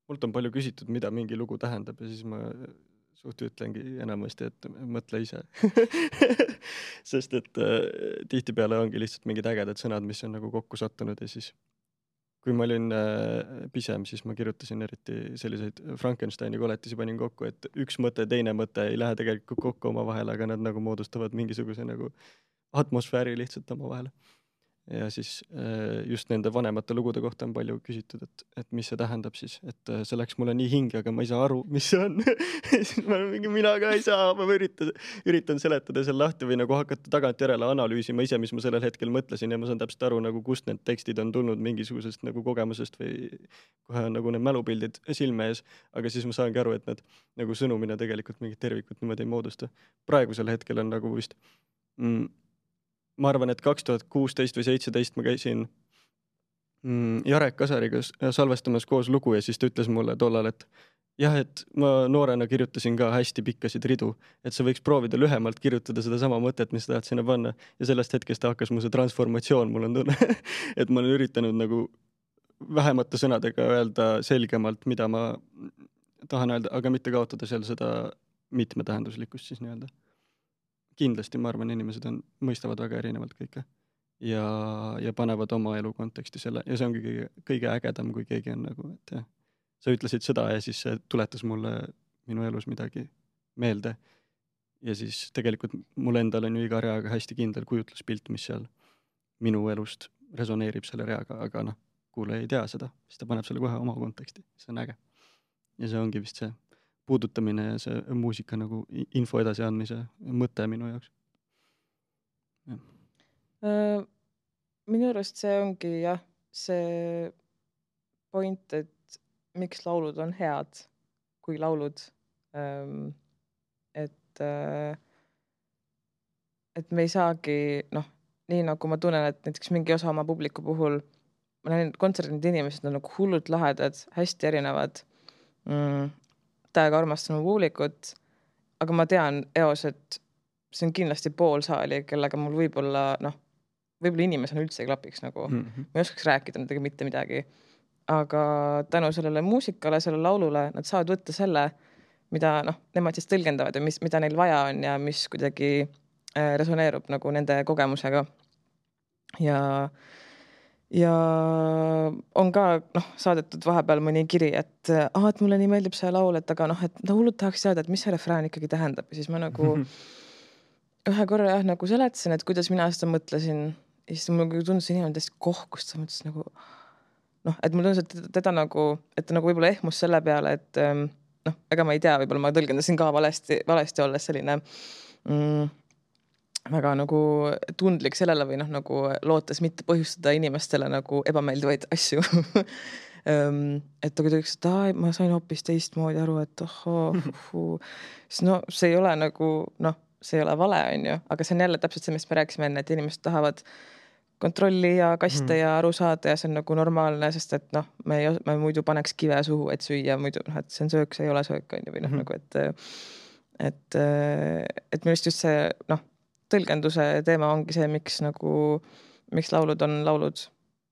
Mult on palju küsitud, mida mingi lugu tähendab ja siis ma suht ütlengi enamasti, et mõtle ise. Sest et äh, tihtipeale ongi lihtsalt mingid ägedad sõnad, mis on nagu kokku sattunud ja siis kui ma olin äh, pisem, siis ma kirjutasin eriti selliseid Frankensteini koletisi panin kokku, et üks mõte, teine mõte ei lähe tegelikult kokku oma vahel, aga nad nagu moodustavad mingisuguse nagu atmosfääri lihtsalt oma vahel. ja siis just nende vanemate lugude kohta on palju küsitud, et, et mis see tähendab siis, et see läks mulle nii hinge, aga ma ei saa aru, mis see on. Siis ma mingi, mina ka ei saa, ma üritan, üritan seletada seal lahti või nagu hakata tagantjärele analüüsima ise, mis ma sellel hetkel mõtlesin ja ma saan täpselt aru, nagu kust need tekstid on tulnud mingisugusest nagu kogemusest või kohe on nagu need mälupildid silme ees, aga siis ma saangi aru, et need nagu sõnumina tegelikult mingit tervikut niimoodi ei moodusta. Praegusel hetkel on nagu vist mm, ma arvan, et kaks tuhat kuusteist või seitseteist ma käisin Jarek Kasariga salvestamas koos lugu ja siis ta ütles mulle tollal, et jah, et ma noorena kirjutasin ka hästi pikkasid ridu, et sa võiks proovida lühemalt kirjutada seda sama mõtet, mis tahad sinna panna ja sellest hetkest hakkas mu see transformatsioon, mul on tunne, et ma olen üritanud nagu vähemate sõnadega öelda selgemalt, mida ma tahan öelda, aga mitte kaotada seal seda mitmetähenduslikkust siis nii-öelda. Kindlasti, ma arvan, inimesed on, mõistavad väga erinevalt kõike ja, ja panevad oma elu konteksti selle ja see ongi kõige, kõige ägedam, kui keegi on nagu, et jah, sa ütlesid seda ja siis see tuletas mulle minu elus midagi meelde ja siis tegelikult mul endal on ju iga reaga hästi kindel kujutluspilt, mis seal minu elust resoneerib selle reaga, aga noh, kuule ei tea seda, siis ta paneb selle kohe oma konteksti, see on äge ja see ongi vist see puudutamine ja see muusika nagu info edasi andmise mõte minu jaoks. Ja. Minu arust see ongi jah, see point, et miks laulud on head, kui laulud, et, et me ei saagi, noh, nii nagu ma tunnen, et näiteks mingi osa oma publiku puhul, ma näen kontserdid inimesed on nagu hullult lahedad, hästi erinevad, mm, täiega armastan mu publikut, aga ma tean eos, et see on kindlasti pool saali, kellega mul võib-olla, noh, võib-olla inimesena üldse ei klapiks nagu, mm-hmm. ma ei oskaks rääkida nendega mitte midagi, aga tänu sellele muusikale, sellele laulule, nad saavad võtta selle, mida, noh, nemad siis tõlgendavad ja mis, mida neil vaja on ja mis kuidagi resoneerub nagu nende kogemusega. Ja Ja on ka noh, saadetud vahepeal mõni kiri, et, ah, et mulle nii meeldib see laul, et aga noh, et laulud tahaks teada, et mis see refrään ikkagi tähendab. Ja siis ma nagu ühe korra jah, nagu seletasin, et kuidas mina seda mõtlesin. Ja siis mul tundus inimene täiesti kohkust, sa mõtlesin nagu, noh, et mul tundus, et teda, teda nagu, et ta nagu võib-olla ehmus selle peale, et noh, ega ma ei tea, võib-olla ma tõlgendasin ka valesti, valesti olles selline mm, väga nagu tundlik sellele või noh, nagu lootes mitte põhjustada inimestele nagu ebameeldivaid asju. et aga ta ütles, et aa, ma sain hoopis teistmoodi aru, et ohoo, siis no see ei ole nagu, noh, see ei ole vale, on ju, aga see on jälle täpselt see, mis me rääkisime enne, et inimesed tahavad kontrolli ja kaste mm. ja aru saada ja see on nagu normaalne, sest et noh, me, ei, me muidu paneks kive suhu, et süüa muidu, noh, et see on söök, see ei ole söök, on ju, või noh, mm. nagu, et et, et minu just see, noh, tõlgenduse teema ongi see, miks nagu, miks laulud on laulud.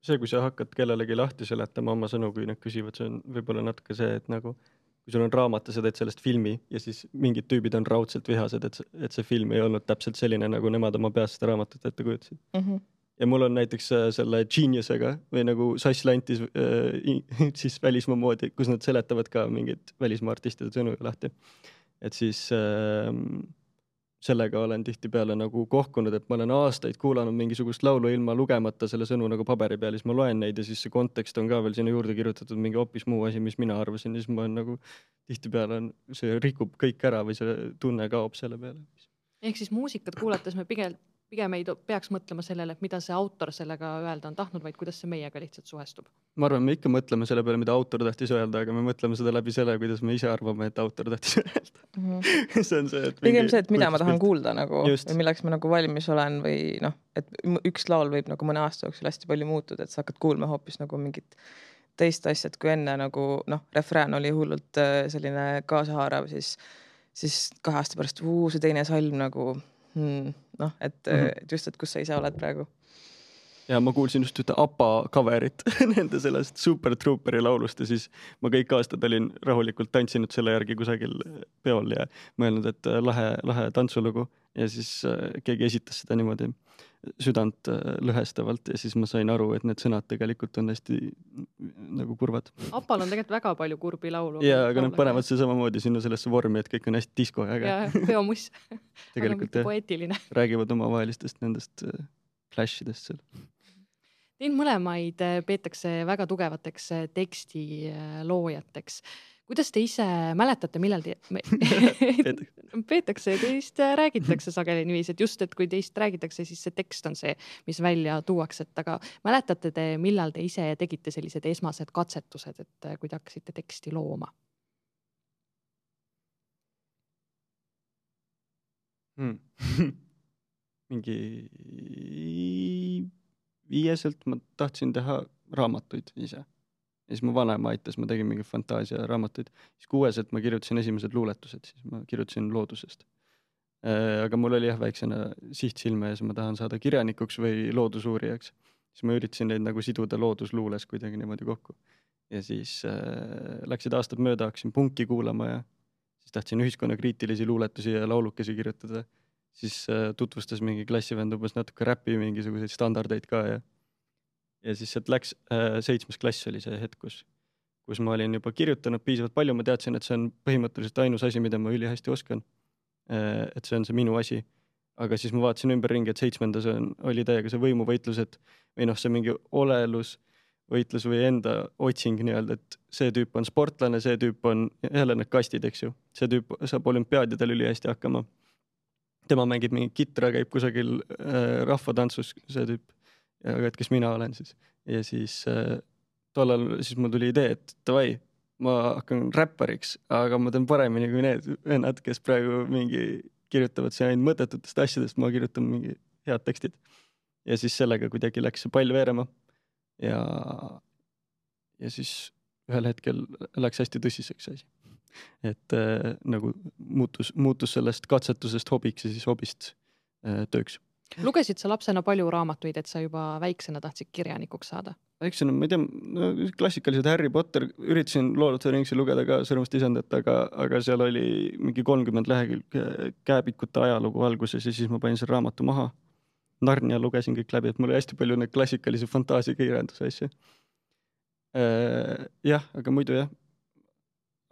See, kui sa hakkad kellelegi lahti seletama oma sõnu, kui nad küsivad, see on võib-olla natuke see, et nagu, kui sul on raamat ja sa teed sellest filmi ja siis mingid tüübid on raudselt vihased, et, et see film ei olnud täpselt selline, nagu nemad oma peas seda raamatut ette kujutasid. Mm-hmm. Ja mul on näiteks selle Geniusega või nagu Sass Lantis äh, siis välismaa moodi, kus nad seletavad ka mingid välismaa artistide sõnu lahti. Et siis äh, sellega olen tihtipeale nagu kohkunud, et ma olen aastaid kuulanud mingisugust laulu ilma lugemata selle sõnu nagu paberi peal, siis ma loen neid ja siis see kontekst on ka veel sinna juurde kirjutatud mingi hoopis muu asi, mis mina arvasin ja siis ma olen nagu tihtipeale on, see rikub kõik ära või see tunne kaob selle peale. Ehk siis muusikat kuulates me pigem, pigem ei peaks mõtlema sellele, et mida see autor sellega öelda on tahtnud, vaid kuidas see meiega lihtsalt suhestub. Ma arvan, me ikka mõtleme selle peale, mida autor tahtis öelda, aga me mõtleme seda läbi selle, kuidas me ise arvame, et autor tahtis öelda. Mm-hmm. see on see, et pigem see, et mida ma tahan pilt. Kuulda nagu, Just. või milleks ma nagu valmis olen või noh, et üks laul võib nagu mõne aasta jooksul hästi palju muutuda, et sa hakkad kuulma hoopis nagu mingit teist asjad, kui enne nagu noh, refrään oli hullult selline kaasahaarav, siis, siis kahe aasta pärast uu, see teine salm nagu hmm, noh, et, mm-hmm. et just, et kus sa ise oled praegu. Ja ma kuulsin just ühte A P A coverit nende sellest Super Trooperi laulust ja siis ma kõik aastad olin rahulikult tantsinud selle järgi kusagil peol ja mõelnud, et lahe, lahe tantsulugu ja siis keegi esitas seda niimoodi südant lõhestavalt ja siis ma sain aru, et need sõnad tegelikult on hästi nagu kurvad. A P A-l on tegelikult väga palju kurbi laulu. Ja, aga nad panevad see samamoodi sinna sellesse vormi, et kõik on hästi disko ja äge. Ja peomuss. Tegelikult aga poeetiline. Räägivad omavahelistest nendest flashidest seal. Teid mõlemaid peetakse väga tugevateks teksti loojateks. Kuidas te ise mäletate, millal te... peetakse, teist räägitakse sageli niiviisi, et just, et kui teist räägitakse, siis see tekst on see, mis välja tuuakse, et aga mäletate te, millal te ise tegite sellised esmased katsetused, et kui te hakkasite teksti looma? Hmm. mingi viieselt ma tahtsin teha raamatuid ise. Ja siis mu vanema aitas, ma tegin mingi fantaasia raamatuid. Siis kuueselt ma kirjutasin esimesed luuletused, siis ma kirjutasin loodusest. Aga mul oli jah väiksena siht silme ees, ma tahan saada kirjanikuks või loodusuurijaks. Siis ma üritasin neid nagu siduda loodusluules kuidagi niimoodi kokku. Ja siis äh, läksid aastad mööda, hakkasin punki kuulama ja siis tahtsin ühiskonnakriitilisi luuletusi ja laulukesi kirjutada. Siis äh, tutvustas mingi klassivend umbes natuke räppi mingisuguseid standardeid ka ja ja siis sealt läks äh, seitsmes klass oli see hetk, kus, kus ma olin juba kirjutanud piisavalt palju, ma teadsin, et see on põhimõtteliselt ainus asi, mida ma üli hästi oskan. Äh, et see on see minu asi. Aga siis ma vaatasin ümber ringi, et seitsmendas on, oli täiega see võimuvõitlus, et või noh, see mingi olelus võitlus või enda otsing nii-öelda, et see tüüp on sportlane, see tüüp on jälle need kastid, eks ju. See tüüp saab olümpiaadidel üli hästi hakkama. Tema mängib mingi kitra, käib kusagil äh, rahvatantsus, see tüüp. Aga et kes mina olen siis. Ja siis äh, tollal siis mul tuli idee, et tavai, ma hakkan räppariks, aga ma teen paremini kui need vennad, kes praegu mingi kirjutavad see ainult mõttetutest asjadest, ma kirjutan mingi head tekstid. Ja siis sellega kuidagi läks see pall veerema. Ja, ja siis ühel hetkel läks hästi tõsiseks asi. Et äh, nagu muutus, muutus sellest katsetusest hobiks ja siis hobist äh, tööks. Lugesid sa lapsena palju raamatuid, et sa juba väiksena tahtsid kirjanikuks saada? Väiksena, ma ei tea, no, klassikalised Harry Potter, üritasin Lord of the Ringsi lugeda ka Sõrmust isandat, aga, aga seal oli mingi kolmkümmend lehekülg kääbikute ajalugu alguses ja siis ma panin selle raamatu maha. Narnia lugesin kõik läbi, et mul oli hästi palju neid klassikalisi fantaasia kirjanduse asju. Äh, jah, aga muidu jah.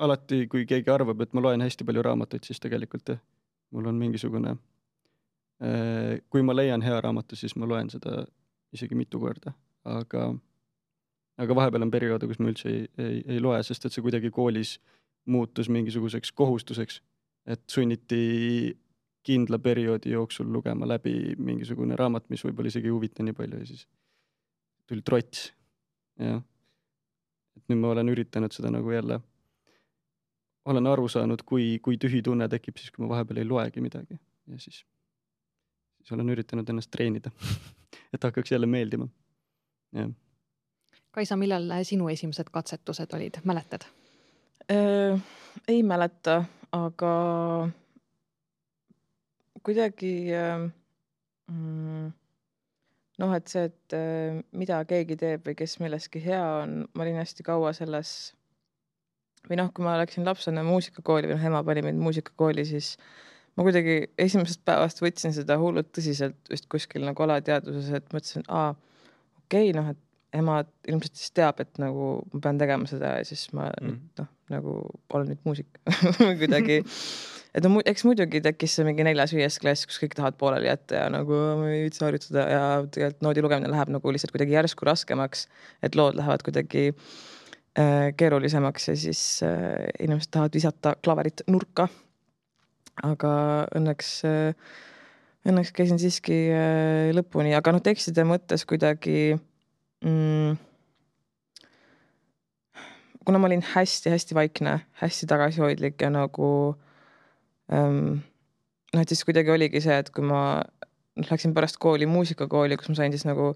Alati, kui keegi arvab, et ma loen hästi palju raamatuid, siis tegelikult jah, mul on mingisugune kui ma leian hea raamatu, siis ma loen seda isegi mitu korda, aga, aga vahepeal on perioode, kus ma üldse ei, ei, ei loe, sest et see kuidagi koolis muutus mingisuguseks kohustuseks, et sunniti kindla perioodi jooksul lugema läbi mingisugune raamat, mis võib-olla isegi ei huvita nii palju ja siis tuli trots. Ja. Et nüüd ma olen üritanud seda nagu jälle, olen aru saanud, kui, kui tühi tunne tekib siis, kui ma vahepeal ei loegi midagi ja siis siis olen üritanud ennast treenida, et hakkaks jälle meeldima. Ja. Kaisa, millal sinu esimesed katsetused olid? Mäletad? Äh, ei mäleta, aga kuidagi äh, noh, et see, et äh, mida keegi teeb või kes milleski hea on, ma olin hästi kaua selles või noh, kui ma läksin lapsena muusikakooli või ema pani meid muusikakooli, siis ma kuidagi esimesest päevast võtsin seda hullult tõsiselt vist kuskil nagu alateadvuses, et mõtlesin, aa, okei, okay, noh, et ema ilmselt siis teab, et nagu ma pean tegema seda ja siis ma mm. nüüd, noh, nagu olen nüüd muusik kuidagi. Et no, eks muidugi tekkis see mingi neljas viies klass, kus kõik tahavad pooleli jätta ja nagu ma ei üldse harjutada ja tegelikult noodi lugemine läheb nagu lihtsalt kuidagi järsku raskemaks, et lood lähevad kuidagi äh, keerulisemaks ja siis äh, inimesed tahavad visata klaverit nurka. Aga õnneks, õnneks käisin siiski lõpuni, aga noh, tekstide mõttes kuidagi mm, kuna ma olin hästi-hästi vaikne, hästi tagasihoidlik ja nagu ähm, noh, et siis kuidagi oligi see, et kui ma läksin pärast kooli muusikakooli, kus ma sain siis nagu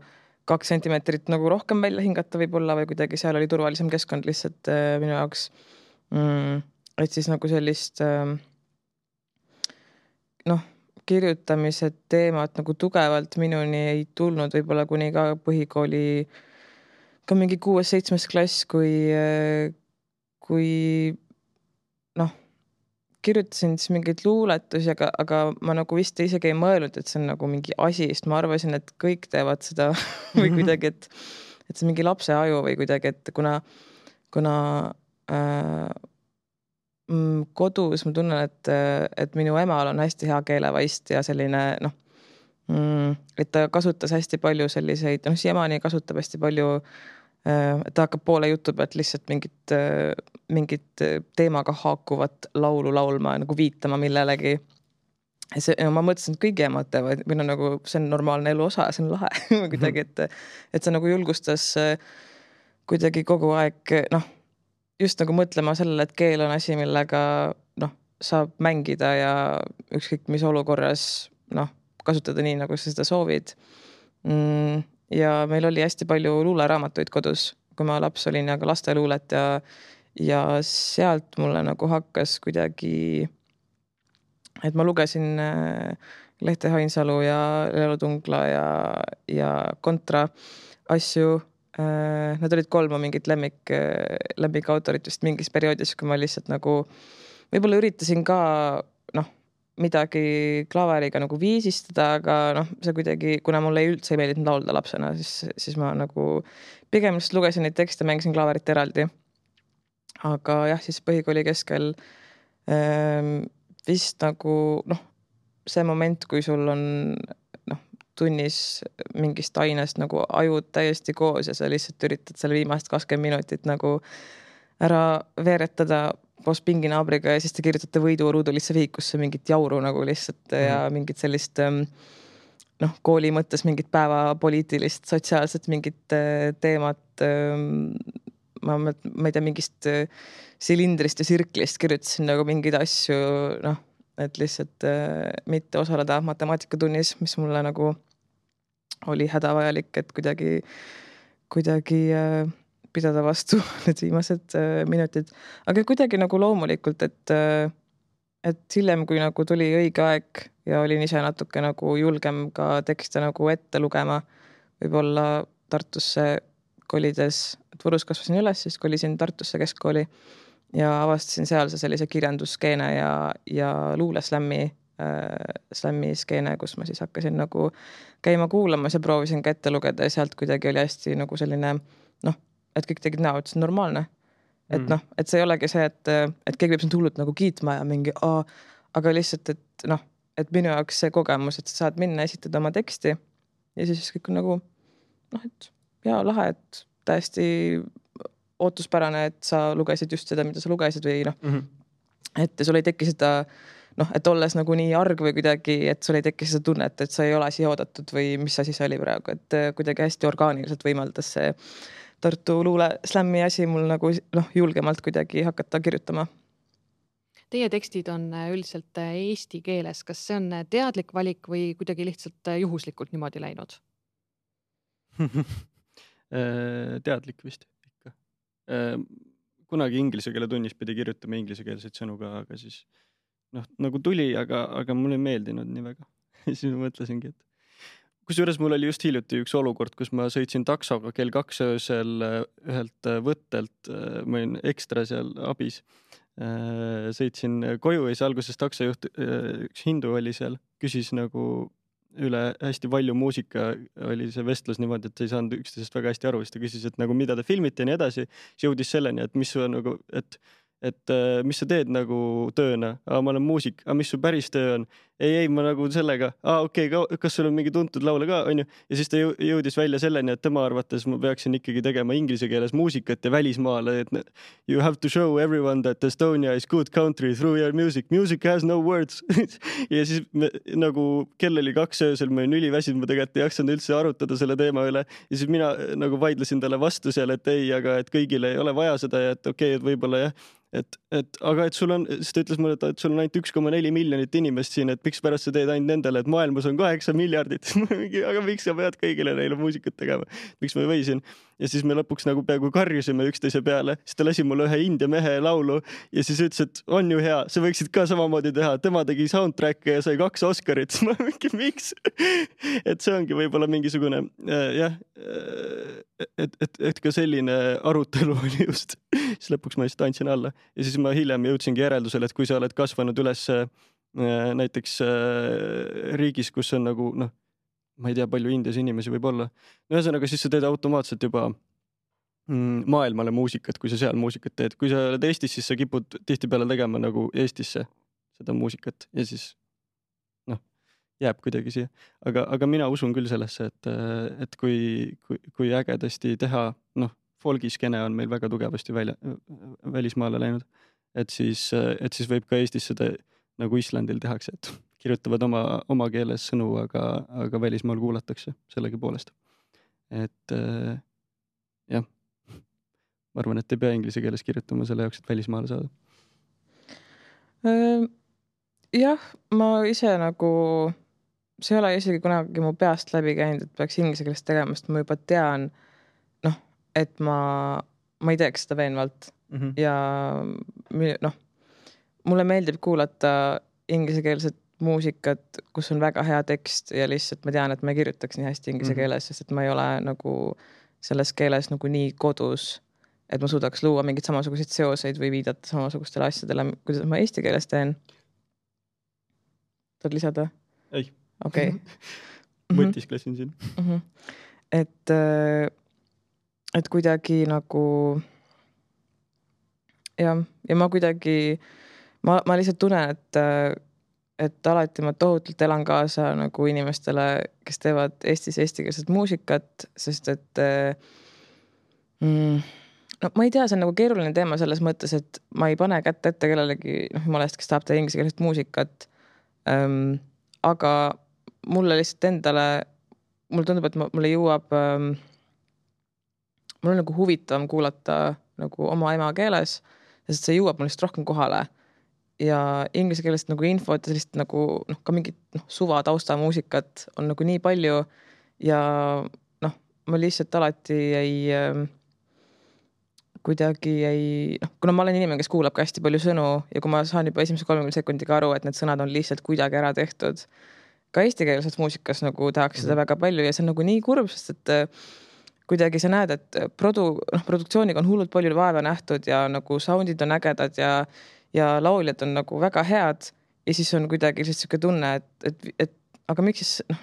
kaks sentimeetrit nagu rohkem välja hingata võib-olla või kuidagi seal oli turvalisem keskkond lihtsalt äh, minu jaoks mm, et siis nagu sellist äh, noh, kirjutamise teemat nagu tugevalt minuni ei tulnud võib-olla kuni ka põhikooli ka mingi kuues-seitsmes klass, kui, kui noh, kirjutasin siis mingeid luuletusi, aga, aga ma nagu vist isegi ei mõelnud, et see on nagu mingi asi, sest ma arvasin, et kõik teevad seda või kuidagi, et, et see mingi lapse aju või kuidagi, et kuna, kuna äh, kodus ma tunnen, et, et minu emal on hästi hea keelevaist ja selline noh, et ta kasutas hästi palju selliseid, noh siiamaani kasutab hästi palju, et ta hakkab poole jutu pealt lihtsalt mingit, mingit teemaga haakuvat laulu laulma, nagu viitama millelegi. See, no ma mõtlesin, et kõigi emad teevad, või no nagu see on normaalne elu osa, see on lahe kuidagi, et, et see nagu julgustas kuidagi kogu aeg, noh, just nagu mõtlema sellele, et keel on asi, millega noh, saab mängida ja ükskõik mis olukorras noh, kasutada nii, nagu sa seda soovid. Ja meil oli hästi palju luuleraamatuid kodus, kui ma laps olin ja ka lasteluulet ja, ja sealt mulle nagu hakkas kuidagi, et ma lugesin Lehte Hainsalu ja Lelo Tungla ja, ja Kontra asju. Nad olid kolm mingit lemmik, lemmik autorit just mingis perioodis, kui ma lihtsalt nagu võib-olla üritasin ka noh, midagi klaveriga nagu viisistada, aga noh, see kuidagi, kuna mulle ei üldse ei meeldinud laulda lapsena, siis, siis ma nagu pigem just lugesin neid tekste, mängisin klaverit eraldi. Aga jah, siis põhikooli keskel ähm, vist nagu noh, see moment, kui sul on noh, tunnis mingist ainest nagu ajud täiesti koos ja sa lihtsalt üritad selle viimast kakskümmend minutit nagu ära veeretada koos pinginaabriga ja siis te kirjutate võiduruudulisse vihikusse mingit jauru nagu lihtsalt mm. ja mingit sellist noh, kooli mõttes mingit päevapoliitilist, sotsiaalset mingit teemat. Ma, ma ei tea, mingist silindrist ja sirklist kirjutasin nagu mingeid asju, noh, et lihtsalt mitte osaleda matemaatikatunnis, mis mulle nagu oli hädavajalik, et kuidagi, kuidagi pidada vastu need viimased minutid. Aga kuidagi nagu loomulikult, et, et hiljem, kui nagu tuli õige aeg ja olin ise natuke nagu julgem ka tekste nagu ette lugema, võib-olla Tartusse kolides, et Võrus kasvasin üles, siis kolisin Tartusse keskkooli ja avastasin seal sellise kirjandusskeene ja, ja luuleslämmi äh, slämmi skeene, kus ma siis hakkasin nagu käima kuulamas ja proovisin ka ette lugeda ja sealt kuidagi oli hästi nagu selline noh, et kõik tegid näo, et see on normaalne. Et mm. noh, et see ei olegi see, et, et keegi võib sind hullult nagu kiitma ja mingi, aa, aga lihtsalt, et noh, et minu jaoks see kogemus, et sa saad minna esitada oma teksti ja siis kõik on nagu noh, et jaa, lahe, et täiesti ootuspärane, et sa lugesid just seda, mida sa lugesid või noh, mm -hmm. et sul ei teki seda noh, et olles nagu nii arg või kuidagi, et sul ei teki seda tunnet, et sa ei ole siia oodatud või mis asi see oli praegu, et kuidagi hästi orgaaniliselt võimaldas see Tartu luule slämmi asi mul nagu noh, julgemalt kuidagi hakata kirjutama. Teie tekstid on üldiselt eesti keeles. Kas see on teadlik valik või kuidagi lihtsalt juhuslikult niimoodi läinud? Teadlik vist ikka. Kunagi inglise keele tunnis pidi kirjutama inglisekeelseid sõnu ka, aga siis noh, nagu tuli, aga, aga mulle ei meeldinud nii väga. Siis ma mõtlesingi, et kusjuures mul oli just hiljuti üks olukord, kus ma sõitsin taksoga kell kaks öösel ühelt võttelt, ma olin ekstra seal abis, sõitsin koju ja siis alguses taksojuht, üks hindu oli seal, küsis nagu üle hästi palju muusika, oli see vestlus niimoodi, et ei saanud üksteisest väga hästi aru, siis ta küsis, et nagu mida te filmite ja nii edasi, siis jõudis selleni, et mis su nagu, et et mis sa teed nagu tööna, aa, ma olen muusik, aa, mis su päris töö on? Ei, ei, ma nagu sellega, aa, okei, okay, kas sul on mingi tuntud laule ka, on ju? Ja siis ta jõudis välja selleni, et tema arvates ma peaksin ikkagi tegema inglise keeles muusikat ja välismaale, et you have to show everyone that Estonia is good country through your music. Music has no words. Ja siis me, nagu kell oli kaks öösel, ma olin üliväsinud, ma tegelikult ei jaksanud üldse arutada selle teema üle. Ja siis mina nagu vaidlesin talle vastu seal, et ei, aga et kõigile ei ole vaja seda ja et okei, okay, et võib-olla jah, et, et aga et sul on, siis ta ütles mulle, et sul on ainult üks koma neli miljonit inimest siin, et miks pärast sa teed ainult nendele, et maailmas on kaheksa miljardit. Aga miks sa pead kõigile neile muusikat tegema? Miks ma võisin? Ja siis me lõpuks nagu peaaegu karjusime üksteise peale. Siis ta lasi mulle ühe india mehe laulu ja siis ütles, et on ju hea, sa võiksid ka samamoodi teha. Tema tegi soundtracke ja sai kaks Oscarit. Ma mingi, miks? Et see ongi võib-olla mingisugune äh, jah, et, et, et ka selline arutelu oli just. Siis lõpuks ma just andsin alla. Ja siis ma hiljem jõudsingi järeldusele, et kui sa oled kasvanud üles äh, näiteks äh, riigis, kus on nagu, noh, ma ei tea, palju Indias inimesi võib olla. Ühesõnaga, siis sa teed automaatselt juba mm, maailmale muusikat, kui sa seal muusikat teed. Kui sa oled Eestis, siis sa kipud tihtipeale tegema nagu Eestisse seda muusikat ja siis noh, jääb kuidagi siia. Aga, aga mina usun küll sellesse, et, et kui, kui, kui ägedasti teha, noh, folgiskene on meil väga tugevasti välja, välismaale läinud, et siis, et siis võib ka Eestis seda nagu Islandil tehakse, et kirjutavad oma, oma keeles sõnu, aga, aga välismaal kuulatakse sellegi poolest. Et jah, ma arvan, et ei pea inglise keeles kirjutama selle jaoks, et välismaale saada. Jah, ma ise nagu, see ei ole isegi kunagi mu peast läbi käinud, et peaks inglise keeles tegema, sest ma juba tean, noh, et ma, ma ei teeks seda veenvalt mm -hmm. ja noh, mulle meeldib kuulata inglisekeelset muusikat, kus on väga hea tekst ja lihtsalt ma tean, et ma ei kirjutaks nii hästi inglise keeles, sest et ma ei ole nagu selles keeles nagu nii kodus, et ma suudaks luua mingeid samasuguseid seoseid või viidata samasugustele asjadele, kuidas ma eesti keeles teen. Tahad lisada? Ei. Okei. Okay. Mõtisklesin siin. Mm -hmm. Et, et kuidagi nagu ja, ja ma kuidagi ma, ma lihtsalt tunnen, et et alati ma tohutult elan kaasa nagu inimestele, kes teevad Eestis eestikeelset muusikat, sest et mm, no ma ei tea, see on nagu keeruline teema selles mõttes, et ma ei pane kätt ette kellelegi, noh, jumalast, kes tahab teha inglisekeelset muusikat. Ähm, aga mulle lihtsalt endale, mulle tundub, et mulle jõuab, ähm, mul on nagu huvitavam kuulata nagu oma ema keeles, sest see jõuab mul lihtsalt rohkem kohale. Ja inglise keelest nagu infot ja sellist nagu noh, ka mingit noh, suva tausta muusikat on nagu nii palju ja noh, ma lihtsalt alati ei äh, kuidagi ei, noh, kuna ma olen inimene, kes kuulab ka hästi palju sõnu ja kui ma saan juba esimese kolmekümne sekundiga aru, et need sõnad on lihtsalt kuidagi ära tehtud, ka eestikeelses muusikas nagu tehakse seda väga palju ja see on nagu nii kurb, sest et äh, kuidagi sa näed, et produ, noh, produktsiooniga on hullult palju vaeva nähtud ja nagu soundid on ägedad ja ja lauljad on nagu väga head ja siis on kuidagi lihtsalt siuke tunne, et, et, et aga miks siis, noh,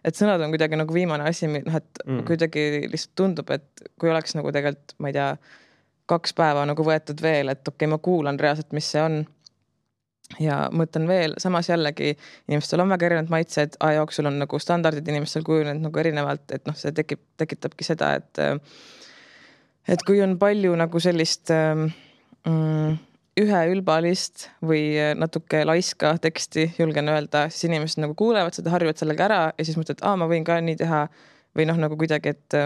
et sõnad on kuidagi nagu viimane asi, noh, et mm. kuidagi lihtsalt tundub, et kui oleks nagu tegelikult, ma ei tea, kaks päeva nagu võetud veel, et okei, okay, ma kuulan reaalselt, mis see on ja mõtlen veel, samas jällegi inimestel on väga erinevad maitsed, aja jooksul on nagu standardid inimestel kujunenud nagu erinevalt, et noh, see tekib, tekitabki seda, et et kui on palju nagu sellist mm, üheülbalist või natuke laiska teksti, julgen öelda, siis inimesed nagu kuulevad seda, harjuvad sellega ära ja siis mõtled, et aa, ma võin ka nii teha või noh, nagu kuidagi, et,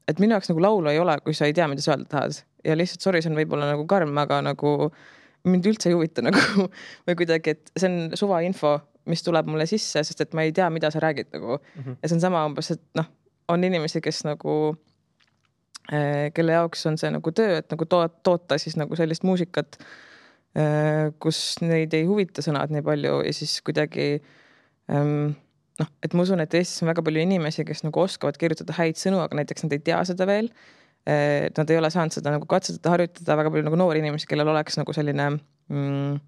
et minu jaoks nagu laulu ei ole, kui sa ei tea, mida sa öelda tahad ja lihtsalt sorry, see on võib-olla nagu karm, aga nagu mind üldse ei huvita nagu või kuidagi, et see on suva info, mis tuleb mulle sisse, sest et ma ei tea, mida sa räägid nagu mm -hmm. ja see on sama umbes, et noh, on inimesi, kes nagu eh, kelle jaoks on see nagu töö, et nagu to- toota siis nagu sellist muusikat, kus neid ei huvita sõnad nii palju ja siis kuidagi ähm, noh, et ma usun, et Eestis on väga palju inimesi, kes nagu oskavad kirjutada häid sõnu, aga näiteks nad ei tea seda veel. Nad ei ole saanud seda nagu katsetada, harjutada, väga palju nagu noori inimesi, kellel oleks nagu selline mm,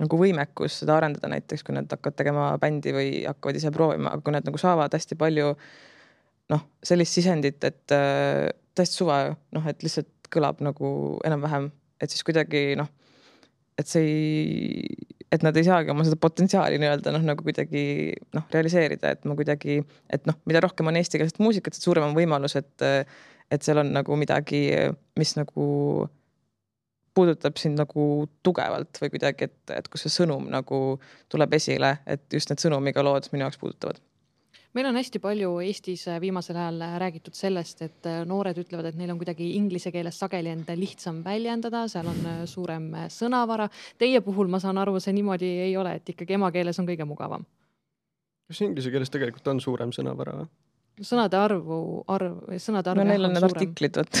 nagu võimekus seda arendada näiteks, kui nad hakkavad tegema bändi või hakkavad ise proovima, aga kui nad nagu saavad hästi palju noh, sellist sisendit, et äh, täiesti suva, noh, et lihtsalt kõlab nagu enam-vähem, et siis kuidagi noh, et see ei, et nad ei saagi oma seda potentsiaali nii-öelda noh, nagu kuidagi noh, realiseerida, et ma kuidagi, et noh, mida rohkem on eestikeelset muusikat, et suurem on võimalus, et, et seal on nagu midagi, mis nagu puudutab sind nagu tugevalt või kuidagi, et, et kus see sõnum nagu tuleb esile, et just need sõnumiga lood minu jaoks puudutavad. Meil on hästi palju Eestis viimasel ajal räägitud sellest, et noored ütlevad, et neil on kuidagi inglise keeles sageli enda lihtsam väljendada, seal on suurem sõnavara. Teie puhul ma saan aru, see niimoodi ei ole, et ikkagi emakeeles on kõige mugavam. Kas inglise keeles tegelikult on suurem sõnavara või? Sõnade arvu, arv, sõnade arv no neil on need suurem. Artiklid, võt.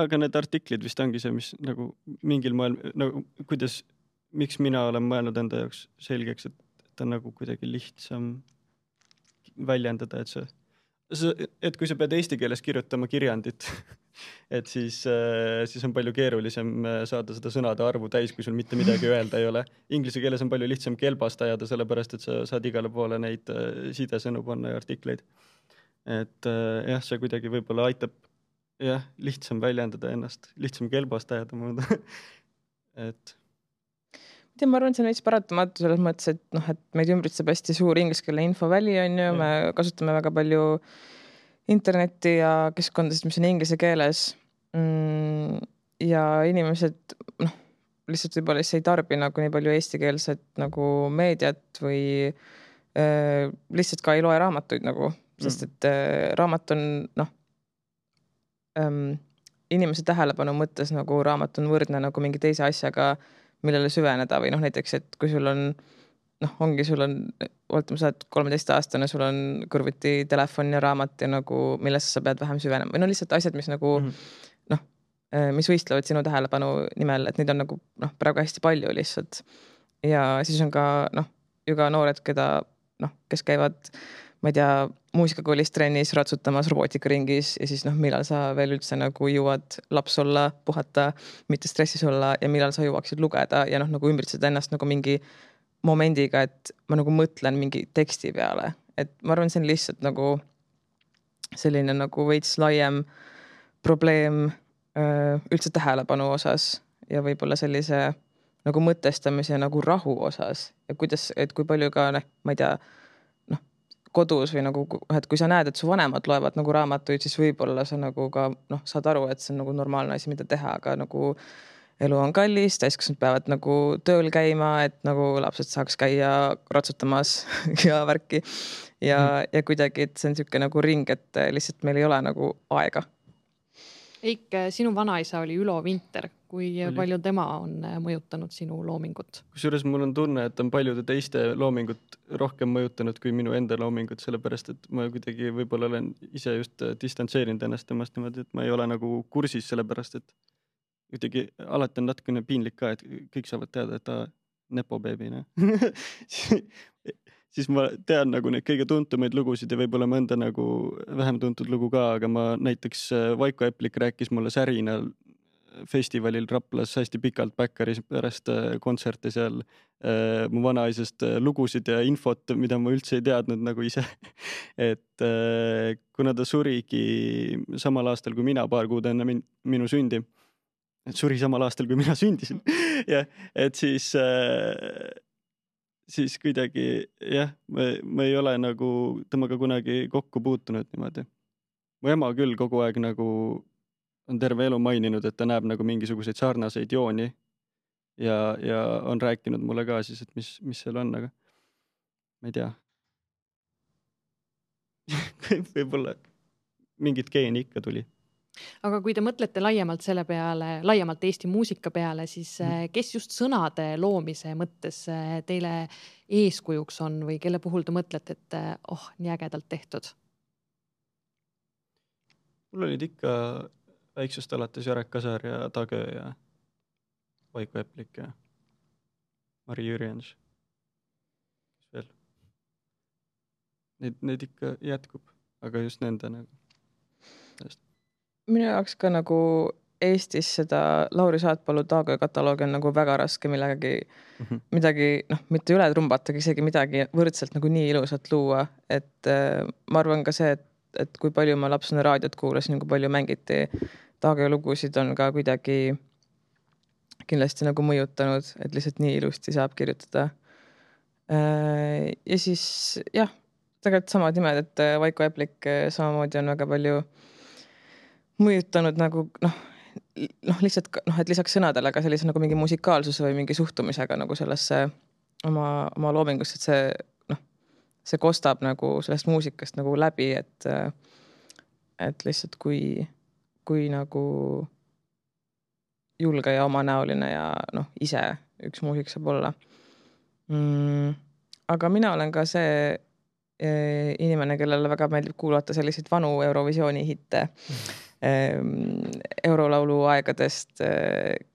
Aga need artiklid vist ongi see, mis nagu mingil moel, nagu kuidas, miks mina olen mõelnud enda jaoks selgeks, et ta on nagu kuidagi lihtsam väljendada, et see, et kui sa pead eesti keeles kirjutama kirjandit, et siis, siis on palju keerulisem saada seda sõnade arvu täis, kui sul mitte midagi öelda ei ole. Inglise keeles on palju lihtsam kelbast ajada, sellepärast, et sa saad igale poole neid sidesõnu panna ja artikleid. Et jah, see kuidagi võib-olla aitab jah, lihtsam väljendada ennast, lihtsam kelbast ajada. et ja ma arvan, et see on veits paratamatu selles mõttes, et noh, et meid ümbritseb hästi suur ingliskeelne infoväli on ju, me kasutame väga palju internetti ja keskkondasid, mis on inglise keeles mm, ja inimesed noh, lihtsalt võib-olla siis ei tarbi nagu nii palju eestikeelset nagu meediat või äh, lihtsalt ka ei loe raamatuid nagu, sest et äh, raamat on noh ähm, inimese tähelepanu mõttes nagu raamat on võrdne nagu mingi teise asjaga, millele süveneda või noh, näiteks, et kui sul on noh, ongi, sul on, oletame, sa oled kolmeteist aastane, sul on kõrvuti telefon ja raamat ja nagu, millest sa pead vähem süvenema või no lihtsalt asjad, mis nagu mm -hmm. noh, mis võistlevad sinu tähelepanu nimel, et neid on nagu noh, praegu hästi palju lihtsalt. Ja siis on ka noh, ju ka noored, keda noh, kes käivad, ma ei tea, muusikakoolis trennis ratsutamas robootikaringis ja siis noh, millal sa veel üldse nagu jõuad laps olla, puhata, mitte stressis olla ja millal sa jõuaksid lugeda ja noh, nagu ümbritseda ennast nagu mingi momendiga, et ma nagu mõtlen mingi teksti peale. Et ma arvan, see on lihtsalt nagu selline nagu veits laiem probleem üldse tähelepanu osas ja võib-olla sellise nagu mõtestamise nagu rahu osas ja kuidas, et kui palju ka, ma ei tea, noh, kodus või nagu, et kui sa näed, et su vanemad loevad nagu raamatuid, siis võib-olla sa nagu ka, noh, saad aru, et see on nagu normaalne asi, mida teha, aga nagu elu on kallis, täiskasvanud peavad nagu tööl käima, et nagu lapsed saaks käia ratsutamas ja värki ja, mm. ja kuidagi, et see on niisugune nagu ring, et lihtsalt meil ei ole nagu aega. Eik, sinu vanaisa oli Ülo Vinter. Kui oli. Palju tema on mõjutanud sinu loomingut? Kusjuures mul on tunne, et on paljude teiste loomingut rohkem mõjutanud kui minu enda loomingut, sellepärast, et ma kuidagi võib-olla olen ise just distantseerinud ennast temast niimoodi, et ma ei ole nagu kursis, sellepärast, et kuidagi alati on natukene piinlik ka, et kõik saavad teada, et ta nepo beebi, ne? siis ma tean nagu neid kõige tuntumaid lugusid ja võib-olla mõnda nagu vähem tuntud lugu ka, aga ma näiteks Vaiko Eplik rääkis mulle Särinal festivalil Raplas hästi pikalt Bäkkaris pärast kontserte seal äh, mu vanaisast lugusid ja infot, mida ma üldse ei teadnud nagu ise. et äh, kuna ta surigi samal aastal kui mina, paar kuud enne min minu sündi, et suri samal aastal kui mina sündisin ja et siis äh, siis kuidagi jah, ma, ma ei ole nagu temaga kunagi kokku puutunud niimoodi. Mu ema küll kogu aeg nagu on terve elu maininud, et ta näeb nagu mingisuguseid sarnaseid jooni ja, ja on rääkinud mulle ka siis, et mis, mis seal on, aga ma ei tea. Võib-olla mingit geeni ikka tuli. Aga kui te mõtlete laiemalt selle peale, laiemalt Eesti muusika peale, siis kes just sõnade loomise mõttes teile eeskujuks on või kelle puhul te mõtlete, et oh, nii ägedalt tehtud? Mul olid ikka väiksest alates Jarek Kasar ja Tagö ja Vaiko Eplik ja Mari Jürjens. Kes veel? Neid, neid ikka jätkub, aga just nende nagu. Minu jaoks ka nagu Eestis seda Lauri Saatpalu Tagö kataloogi on nagu väga raske millegagi, mm -hmm. midagi, noh, mitte üle trumbatagi, isegi midagi võrdselt nagu nii ilusat luua, et äh, ma arvan ka see, et, et kui palju ma lapsena raadiot kuulasin, kui palju mängiti Tagö lugusid on ka kuidagi kindlasti nagu mõjutanud, et lihtsalt nii ilusti saab kirjutada. Äh, ja siis jah, tegelikult samad nimed, et Vaiko Eplik samamoodi on väga palju mõjutanud nagu noh, noh lihtsalt noh, et lisaks sõnadele ka sellise nagu mingi musikaalsuse või mingi suhtumisega nagu sellesse oma, oma loomingusse, et see noh, see kostab nagu sellest muusikast nagu läbi, et et lihtsalt kui kui nagu julge ja omanäoline ja noh, ise üks muusik saab olla. Mm, aga mina olen ka see e, inimene, kellele väga meeldib kuulata selliseid vanu Eurovisiooni hitte. Mm. Eurolaulu aegadest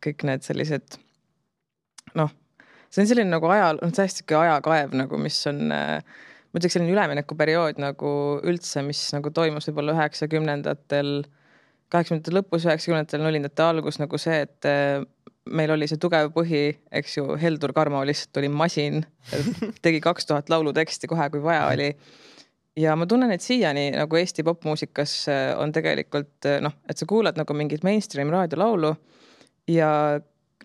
kõik need sellised noh, see on selline nagu aja, on täiesti ajakaev nagu, mis on ma ütleks selline üleminekuperiood nagu üldse, mis nagu toimus võib-olla üheksakümnendatel, kaheksakümnendatel lõpus, üheksakümnendatel nullindate algus nagu see, et meil oli see tugev põhi, eks ju, Heldur Karmo lihtsalt oli masin, tegi kaks tuhat laulu teksti kohe, kui vaja oli. Ja ma tunnen, et siiani nagu Eesti popmuusikas on tegelikult noh, et sa kuulad nagu mingit mainstream raadiolaulu ja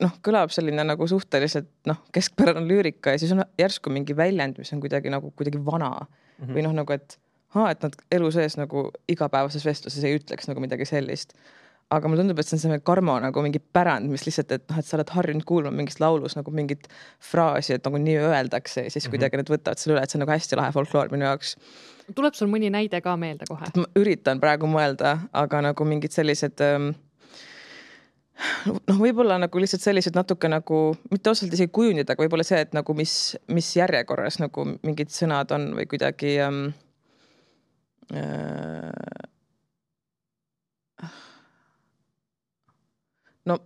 noh, kõlab selline nagu suhteliselt noh, keskpärane lüürika ja siis on järsku mingi väljend, mis on kuidagi nagu kuidagi vana mm -hmm. või noh, nagu et haa, et nad elu sees nagu igapäevases vestluses ei ütleks nagu midagi sellist. Aga mulle tundub, et see on see Karmo nagu mingi pärand, mis lihtsalt, et noh, et sa oled harjunud kuulma mingis laulus nagu mingit fraasi, et nagu nii öeldakse ja siis kuidagi need võtavad selle üle, et see on nagu hästi lahe folkloor minu jaoks. Tuleb sul mõni näide ka meelde kohe? Ma üritan praegu mõelda, aga nagu mingid sellised noh, võib-olla nagu lihtsalt sellised natuke nagu, mitte osalt isegi kujundid, aga võib-olla see, et nagu mis, mis järjekorras nagu mingid sõnad on või kuidagi ähm, äh, no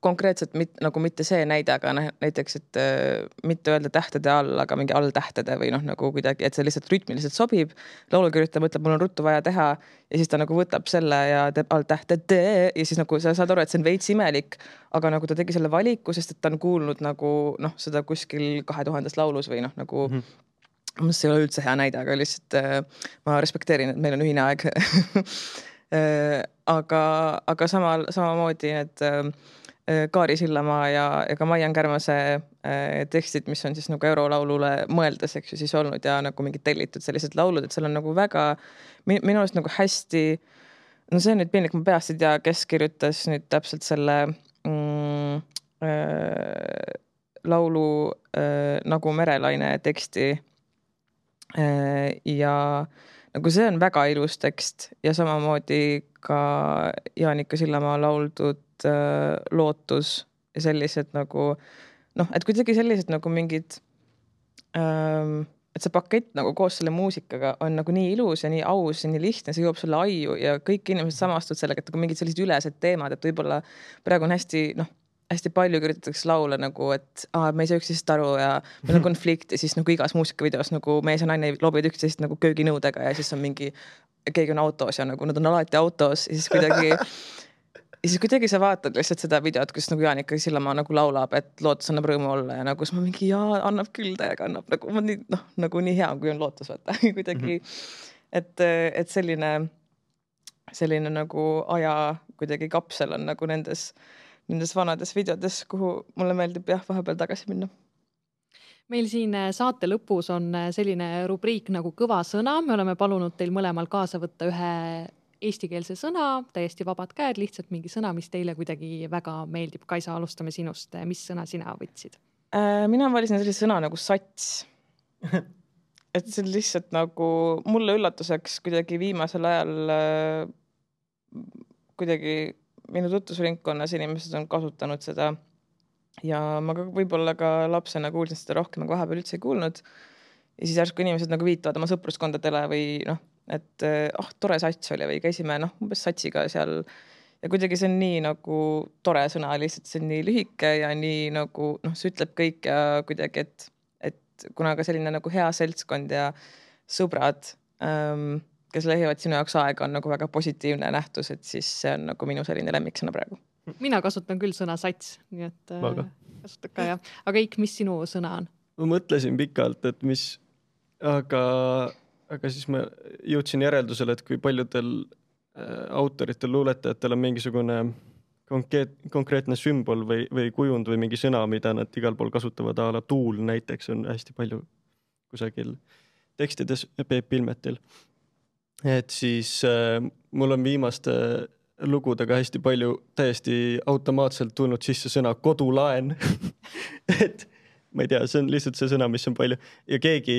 konkreetselt mit, nagu mitte see näide, aga näiteks, et äh, mitte öelda tähtede all, aga mingi all tähtede või noh, nagu kuidagi, et see lihtsalt rütmiliselt sobib. Laulukirjutaja mõtleb, mul on ruttu vaja teha ja siis ta nagu võtab selle ja teeb all tähtede ja siis nagu sa saad aru, et see on veits imelik, aga nagu ta tegi selle valiku, sest et ta on kuulnud nagu noh, seda kuskil kahe tuhandes laulus või noh, nagu mm -hmm. see ei ole üldse hea näide, aga lihtsalt äh, ma respekteerin, et meil on ühine aeg aga, aga samal, samamoodi need äh, Kaari Sillamaa ja, ja ka Maian Kärmase äh, tekstid, mis on siis nagu eurolaulule mõeldes, eks ju, siis olnud ja nagu mingid tellitud sellised laulud, et seal on nagu väga minu arust nagu hästi, no see on nüüd piinlik, ma peast ei tea, kes kirjutas nüüd täpselt selle mm, äh, laulu äh, Nagu merelaine teksti äh, ja nagu see on väga ilus tekst ja samamoodi ka Jaanika Sillamaa lauldud äh, Lootus ja sellised nagu noh, et kuidagi sellised nagu mingid ähm, et see pakett nagu koos selle muusikaga on nagu nii ilus ja nii aus ja nii lihtne, see jõuab sulle aiu ja kõik inimesed samastud sellega, et nagu mingid sellised ülesed teemad, et võib-olla praegu on hästi noh, hästi palju kirjutatakse laule nagu, et aa, me ei saa üksteisest aru ja meil on konflikt ja siis nagu igas muusikavideos nagu mees ja naine loobivad üksteisest nagu kööginõudega ja siis on mingi, keegi on autos ja nagu nad on alati autos ja siis kuidagi ja siis kuidagi sa vaatad lihtsalt seda videot, kus nagu Jaanika Sillamaa nagu laulab, et lootus annab rõõmu olla ja nagu ma mingi jaa, annab küll täiega, annab nagu ma nii, noh, nagu nii hea, kui on lootus, vaata kuidagi, et, et selline selline nagu aja kuidagi kapsel on nagu nendes nendes vanades videodes, kuhu mulle meeldib jah, vahepeal tagasi minna. Meil siin saate lõpus on selline rubriik nagu kõva sõna. Me oleme palunud teil mõlemal kaasa võtta ühe eestikeelse sõna, täiesti vabad käed, lihtsalt mingi sõna, mis teile kuidagi väga meeldib. Kaisa, alustame sinust. Mis sõna sina võtsid? Äh, mina valisin sellise sõna nagu sats. Et see on lihtsalt nagu mulle üllatuseks kuidagi viimasel ajal äh, kuidagi minu tutvusringkonnas inimesed on kasutanud seda ja ma ka võib-olla ka lapsena kuulsin seda rohkem, aga vahepeal üldse ei kuulnud. Ja siis järsku inimesed nagu viitavad oma sõpruskondadele või noh, et ah, tore sats oli või käisime noh, umbes satsiga seal ja kuidagi see on nii nagu tore sõna, lihtsalt see on nii lühike ja nii nagu noh, see ütleb kõik ja kuidagi, et, et kuna ka selline nagu hea seltskond ja sõbrad ähm, kes lehivad sinu jaoks aega, on nagu väga positiivne nähtus, et siis see on nagu minu selline lemmiksõna praegu. Mina kasutan küll sõna sats, nii et Vaga. Kasutan ka jah. Aga Eik, mis sinu sõna on? Ma mõtlesin pikalt, et mis, aga, aga siis ma jõudsin järeldusele, et kui paljudel äh, autoritel, luuletajatel on mingisugune konkreet, konkreetne sümbol või, või kujund või mingi sõna, mida nad igal pool kasutavad, a la tuul näiteks on hästi palju kusagil tekstides Peep Pilmetil. Et siis äh, mul on viimaste lugudega hästi palju täiesti automaatselt tulnud sisse sõna kodulaen. Et ma ei tea, see on lihtsalt see sõna, mis on palju. Ja keegi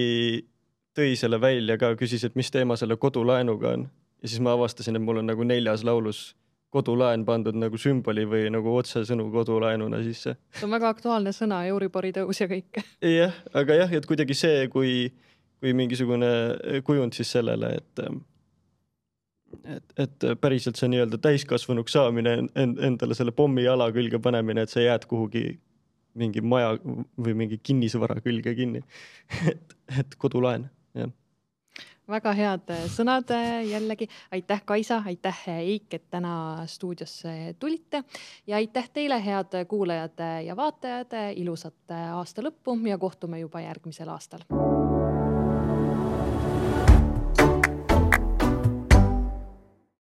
tõi selle välja ka, küsis, et mis teema selle kodulaenuga on. Ja siis ma avastasin, et mul on nagu neljas laulus kodulaen pandud nagu sümboli või nagu otsesõnu kodulaenuna sisse. See on väga aktuaalne sõna, Euribori tõus ja kõik. Jah, aga jah, et kuidagi see, kui, kui mingisugune kujund siis sellele, et Et, et päriselt see nii-öelda täiskasvanuks saamine, endale selle pommi jala külge panemine, et sa jääd kuhugi mingi maja või mingi kinnisvara külge kinni. Et, et kodulaen, jah. Väga head sõnad jällegi. Aitäh, Kaisa, aitäh, Eik, et täna stuudiosse tulite. Ja aitäh teile, head kuulajad ja vaatajad, ilusat aasta lõppu ja kohtume juba järgmisel aastal.